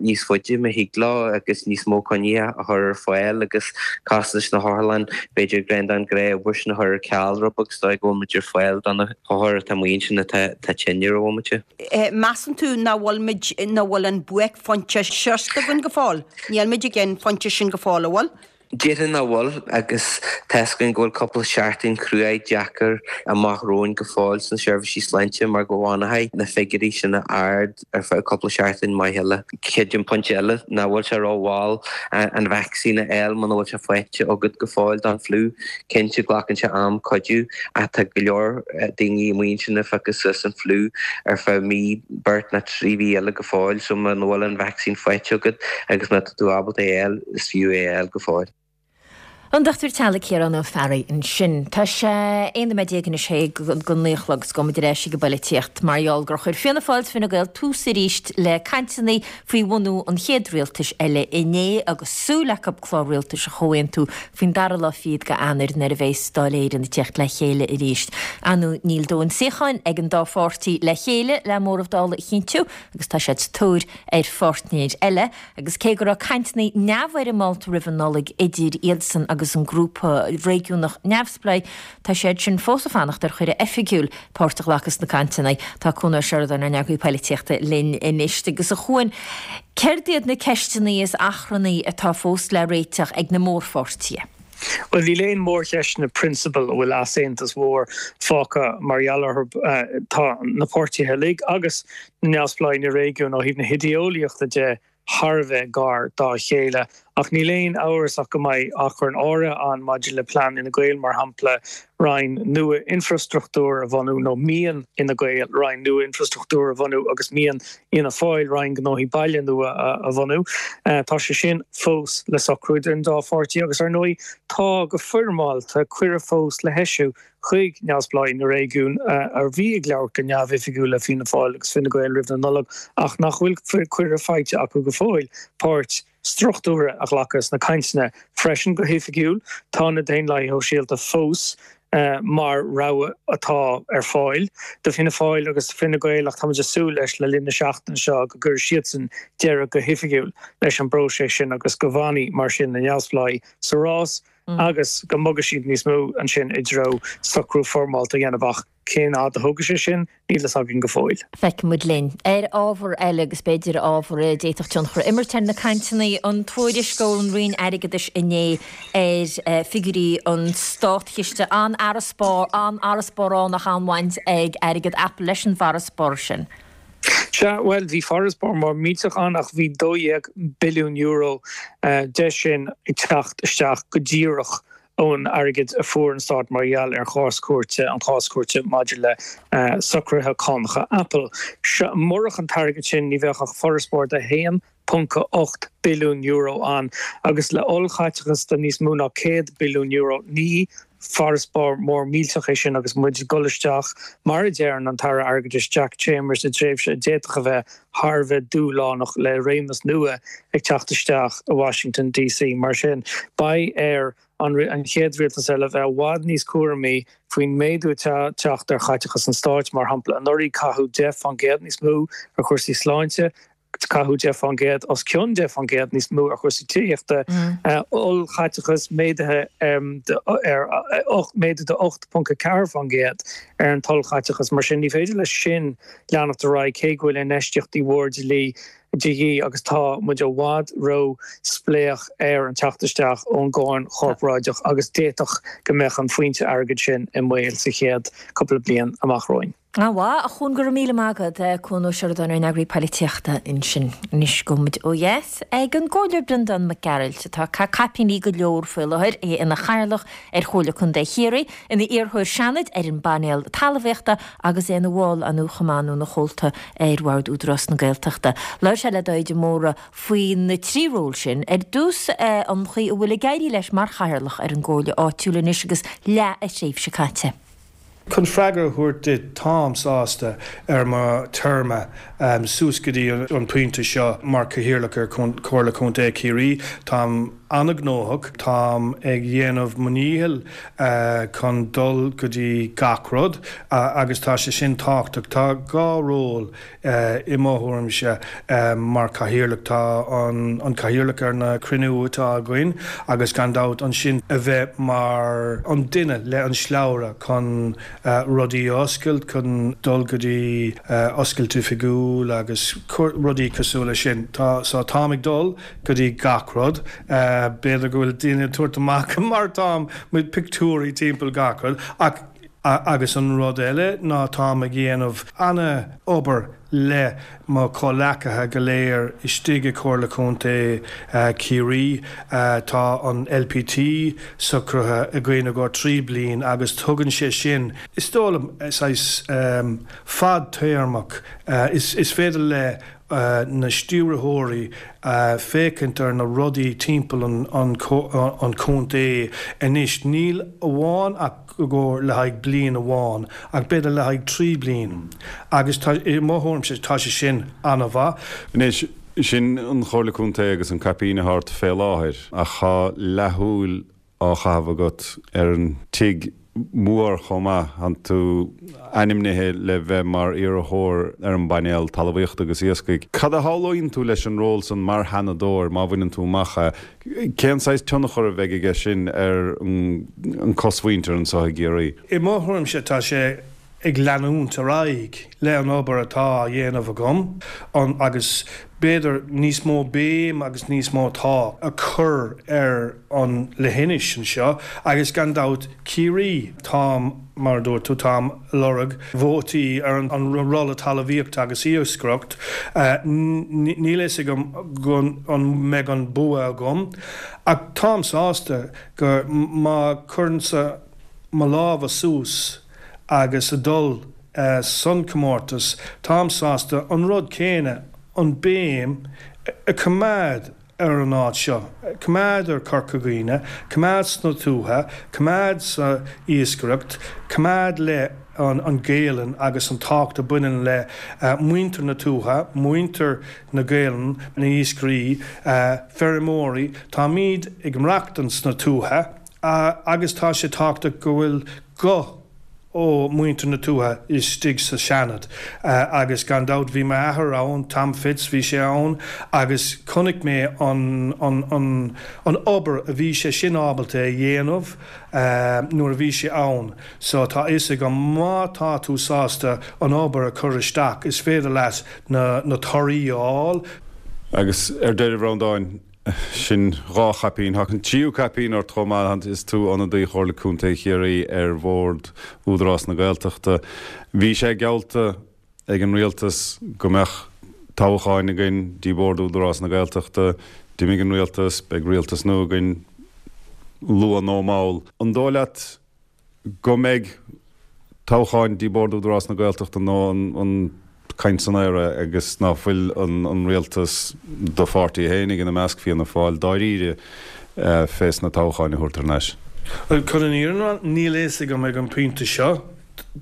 níos faide má thig leo agus níos mó coinní a chur ar fáil agus costais na hotharlann, b'fhéidir an ghnáth-obair sin a chur ar ceal rud beag is dóigh go bhfuil muid ar fáil do na hothair atá amuigh ansin atá tinn ar an bhomaite. Measann tú nach bhfuil muid, nach bhfuil an buaicphointe sroichte againn go fóill? Níl muid ag an phointe sin go fóill, an bhfuil? Déarfainn nach bhfuil, agus tá's againn go bhfuil cúpla seachtain cruaidh deacair amach romhainn go fóill sna seirbhísí sláinte mar go bhfanfaidh na figiúirí sin ard ar feadh cúpla seachtain maith eile. Creidim pointe eile nach bhfuil sé rómhall an vacsaín a fháil muna bhfuil sé faighte agat go fóill don fliú. Cinnte glacann sé am cuidiú ach tá go leor daoine amuigh ansin ag phiocadh suas an fliú ar feadh mí, beirt nó 3 mhí eile go fóill so muna bhfuil an vacsaín faighte agat agus má tá tú ábalta é a fháil, is fiú é a fháil go fóill. An Dochtúir Teaghlaigh Ciarán Ó Fearraigh ansin. Tá sé 11 nóiméad go 9 a chlog agus gabhfaidh muid ar ais ag an bpoilitíocht mar gheall gur chuir Fianna Fáil is Fine Gael tús arís le cainteanna faoi bhunú an chéad rialtais eile inné agus súil acu clár rialtais a chomhaontú faoin dara lá fichead de Eanáir nuair a bheas Dáil Éireann ag teacht le chéile arís. Ar ndóigh níl dóthain suíocháin ag an dá pháirtí le chéile le móramh Dála a chinntiú agus tá siad sa tóir ar pháirtnéir eile. Agus cé go raibh cainteanna neamhfhoirmeálta roimh an Nollaig idir iadsan agus an grúpa réigiúnach neamhspleách, tá siad sin fós ag fanacht ar chuireadh oifigiúil páirt a ghlacadh sna cainteanna. Tá Cuan Ó Seireadáin, ár n-eagraí poilitíochta, linn anois. Agus a Chuain, céard iad na ceisteanna is achrannaí atá fós le réiteach ag na mórpháirtithe? Bhuel, níl aon mhórcheisteanna prionsabail a bhfuil easaontas mhór fágtha mar gheall orthu. Tá na páirtithe uilig agus na neamhspleáigh na réigiúin ó thaobh na hidé-eolaíochta de thar a bheith gar dá chéile. Ach níl aon amhras ach go mbeidh achrann áirithe ann maidir le plean Fhine Gael, mar shampla, roinn nua infreastruchtúir a bhunú, nó mian Fhine Gael roinn nua infreastruchtúir a bhunú agus mian Fhianna Fáil roinn gnóthaí baile nua a bhunú. Tá sé sin fós le socrú idir an dá pháirtí agus, ar ndóigh, tá go foirmeálta cuireadh fós le heisiú chuig neamhspleáigh na réigiún a bhí ag labhairt go neamhoifigiúil le Fianna Fáil agus Fine Gael roimh na Nollag ach nach bhfuil cuireadh faighte acu go fóill páirt struchtúrtha a ghlacadh sna cainteanna freisin. Go hoifigiúil, tá na Daonlathaithe Shóisialta fós mar rogha atá ar fáil do Fianna Fáil agus do Fine Gael ach táimid ag súil leis le linn na seachtaine seo go gcuirfidh siadsan deireadh go hoifigiúil leis an bpróiseas sin agus go bhfanfaidh mar sin na neamhspleáigh sa rás agus go mbogfaidh siad níos mó ansin i dtreo socrú foirmeálta a dhéanamh ach cén fhad a thógfaidh sé sin, níl fhios againn go fóill. Feicfidh muid linn. Ar ábhar eile, agus b'fhéidir ábhar a d'fhéadfadh tionchar a imirt ar na cainteanna, an tuairisc ón Roinn Airgeadais inné ar figiúirí an Státchiste, an-fharasbarr, an-fharasbarr ann ach an-bhaint ag airgead Apple leis an bhfarasbarr sin. Sea, bhuel, bhí farasbarr mór millteach ann ach bhí €12 billiún de sin ag teacht isteach go díreach ón airgead a fuair an stát mar gheall ar chás cúirte, an chás cúirte maidir le socruithe cánacha Apple. Murach an t-airgead sin ní bheadh ach farasbarr de €1.8 billiún ann agus le ollchaiteachas de níos mó ná €100 billiún ní farasbarr mór millteach é sin agus muid ag dul isteach, mar a deireann an tAire Airgeadais Jack Chambers, i dtréimhse a d'fhéadfadh a bheith thar a bheith dúshlánach le réimeas nua ag teacht isteach i Washington DC. Mar sin, beidh ar an chéad rialtas eile bheith i bhfad níos cúramaí faoin méadú atá ag teacht ar chaiteachas an stáit. Mar shampla, anuraidh caitheadh 10% níos mó ar chúrsaí sláinte, caitheadh 10%, os cionn 10% níos mó ar chúrsaí tithíochta, ollchaiteachas méadaithe ar méadú de 8.4% ar an t-ollchaiteachas. Mar sin, ní féidir leis sin leanacht ar aghaidh cé go bhfuil infheistíochtaí mhóra de dhíth de dhíth agus tá muid i bhfad ró-spléach ar an teacht isteach ón gcáin chorparáideach agus d'fhéadfadh go mbeadh an foinse airgid sin i mbaol sa chéad cúpla bliain amach romhainn. Ana mhaith, a Chuain, go raibh míle maith agat. Cuan Ó Seireadáin, ár n-eagraí poilitíochta ansin. Anois gabhfaidh muid ó dheas ag an gComhairleoir Breandán Mac Gearailt, atá ag caitheamh caipíní go leor faoi láthair, é ina chathaoirleach ar Chomhairle Contae Chiarraí, ina iarrthóir Seanaid ar an bpainéal talmhaíochta agus é ina bhall ann chomh maith nó ina chomhalta ar Bhord Údarás na Gaeltachta. Labhair sé le Daithí de Mórdha faoi na trí ról sin. Ar dtús, an chaoi a bhfuil ag éirí leis mar chathaoirleach ar an gComhairle áitiúil anois agus leath a thréimhse caite. Chun freagra a thabhairt duit, táim sásta ar mo téarma suas go dtí an pointe seo mar Chathaoirleach ar Chomhairle Contae Chiarraí. Táim. an-ghnóthach. Táim ag dhéanamh mo ndícheall chun dul go dtí gach rud agus tá sé sin tábhachtach. Tá 2 ról i mo thuairimse mar chathaoirleach. Tá an cathaoirleach ar na cruinniú atá againn agus gan dabht ansin a bheith mar an duine le an slabhra chun rudaí a oscailt, chun dul go dtí oscailt oifigiúil agus rudaí cosúil leis sin. Tá, so táim ag dul go dtí gach rud. B'fhéidir go bhfuil daoine ag tabhairt amach mar táim mo pictiúirí timpeall gach rud ach, agus an rud eile ná táim ag dhéanamh ana-obair le mo chomhleacaithe go léir istigh i Comhairle Contae Chiarraí. Tá an LPT socraithe againn i gcomhair 3 bliain agus tugann sé sin, is dóigh liom, saghas fadtéarmach. Is féidir le na stiúrthóirí féachaint ar na rudaí timpeall an chontae anois, níl amháin ach i gcomhair le haghaidh bliain amháin ach b'fhéidir le haghaidh 3 bliain agus tá, i mo thuairimse, tá sé sin an-mhaith. Anois, sin an Chomhairle Contae agus an caipín atá ort fé láthair ach tá leathshúil á chaitheamh agat ar an tigh mór chomh maith. Tánn tú ainmnithe le bheith mar iarrthóir ar an bpainéal Talmhaíochta agus Iascaigh. Cad a shamhlaíonn tú leis an ról san mar Sheanadóir má bhaineann tú amach é? Cén saghas tionchar a bheidh aige sin ar an cosmhuintir anseo i gCiarraí? I mo thuairimse tá sé ag leanúint ar aghaidh le an obair atá á dhéanamh agam agus b'fhéidir níos mó béim agus níos mó tá a chur ar an leithinis anseo agus gan dabht Ciarraí. Táim, mar a dúirt tú, táim lorg vótaí ar an rolla talmhaíochta agus iascaireacht. Níl a fhios agam an mbeidh an bua agam ach táim sásta go má chuireannsa mo lámha suas agus a dul san comórtas táim sásta an rud céanna, an béim a choimeád ar an áit seo, coimeád ar Chorca Dhuibhne, coimeád sna tuaithe, coimeád sa iascaireacht, coimeád le an Ghaelainn agus an tábhacht a bhaineann le muintir na tuaithe, muintir na Gaelainne, na iascairí, feirmeoirí. Táimíd ag maireachtaint sna tuaithe agus tá sé tábhachtach go bhfuil guth ó muintir na tuaithe istigh sa Seanad agus gan dabht bhí m'athair ann, Tom Fitz, bhí sé ann agus chonaic mé an an an obair a bhí sé sin ábalta a dhéanamh nuair a bhí sé ann so tá a fhios agam má tá tú sásta an obair a chur isteach is féidir leat na na torthaí a fháil. Agus ar deireadh, a Bhreandáin, Sin 2 chaipín. Tá an tríú caipín ort chomh maith. Is tú ionadaí Chomhairle Contae Chiarraí ar Bhord Údarás na Gaeltachta. Bhí sé geallta ag an Rialtas go mbeadh toghcháin againn dtí Bord Údarás na Gaeltachta. D'imigh an Rialtas, beidh Rialtas nua againn luath nó mall. An dóigh leat go mbeidh toghcháin dtí Bord Údarás na Gaeltachta nó an caint san aer é agus ná fuil an rialtas, do pháirtí fhéinig ina measc, Fianna Fáil, dáiríre fés na toghcháin a thabhairt thar n-ais? Bhuel, chun an fhírinne a rá, níl a fhios agam ag an bpointe seo.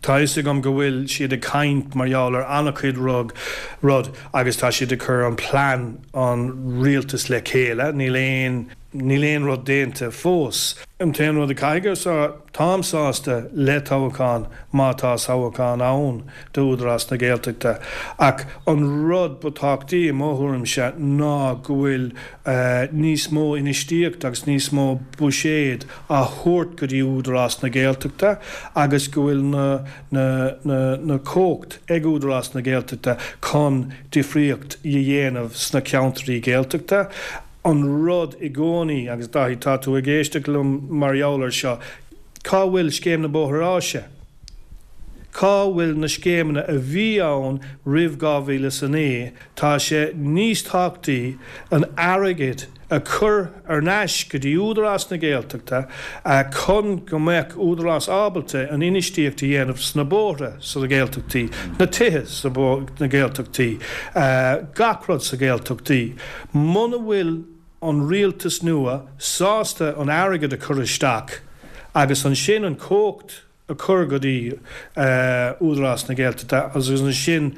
Tá a fhios agam go bhfuil siad ag caint mar gheall ar an-chuid rud agus tá siad ag cur an plean an rialtas le chéile. Níl aon. Níl aon rud déanta fós. An t-aon rud a caithfidh a rá, táim sásta le toghchán má tá toghchán ann d'Údarás na Gaeltachta ach an rud ba tábhachtaí i mo thuairimse ná go bhfuil níos mó infheistíocht agus níos mó buiséad á thabhairt go dtí Údarás na Gaeltachta agus go bhfuil na na na na cumhacht ag Údarás na Gaeltachta chun difríocht a dhéanamh sna ceantraí Gaeltachta. an rud i gcónaí, agus Dáithí, tá tú ag éisteacht liom mar gheall air seo, cá bhfuil Scéim na Bóithre Áise? Cá bhfuil na scéimeanna a bhí ann roimh 2009? Tá sé níos tábhachtaí an airgead a chur ar n-ais go dtí Údarás na Gaeltachta chun go mbeadh Údarás ábalta an infheistíocht a dhéanamh sna bóithre sna Gaeltachtaí, na tithe sna Gaeltachtaí, gach rud sa Ghaeltachtaí. Muna bhfuil an rialtas nua sásta an airgead a chur isteach agus ansin an chumhacht a chur go dtí Údarás na Gaeltachta agus ansin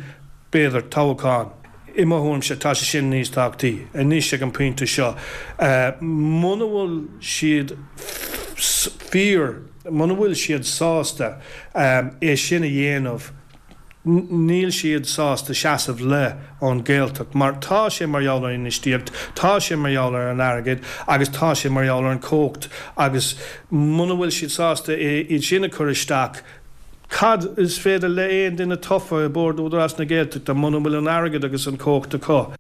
b'fhéidir toghchán. I mo thuairimse, tá sé sin níos tábhachtaí anois ag an bpointe seo. Muna bhfuil siad fíor, muna bhfuil siad sásta é sin a dhéanamh, níl siad sásta seasamh le an Ghaeltacht mar tá sé mar gheall ar infheistíocht, tá sé mar gheall ar an airgead agus tá sé mar gheall ar an chumhacht agus muna bhfuil siad sásta iad sin a chur isteach, cad is féidir le aon duine tofa i Bord Údarás na Gaeltachta muna bhfuil an airgead agus an chumhacht acu?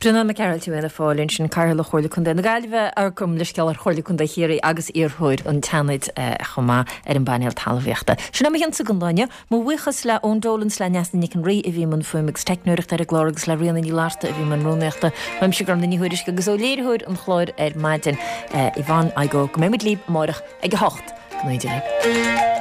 Breandán Mac Gearailt ó Fhianna Fáil ansin, Cathaoirleach Chomhairle Contae na Gaillimhe, gabh mo leithscéal ar Chomhairle Contae Chiarraí agus iarrthóir an tSeanaid chomh maith ar an bpainéal talmhaíochta. Sin é mo chionsa don lá inniu. Mo bhuíochas le Eoin Dolan 's le Neasa Nic an Rí a bhí i mbun fuaime agus teicneoireachta ar an gclár agus le Ríona Ní Fhlatharta a bhí i mbun rúnaíochta. Uaimse Gormfhlaith Ní Thuairisg agus ó léiritheoir an chláir ar maidin, Yvonne Igoe, go mbeidh muid libh amárach ag a 8. Go n-éirí libh.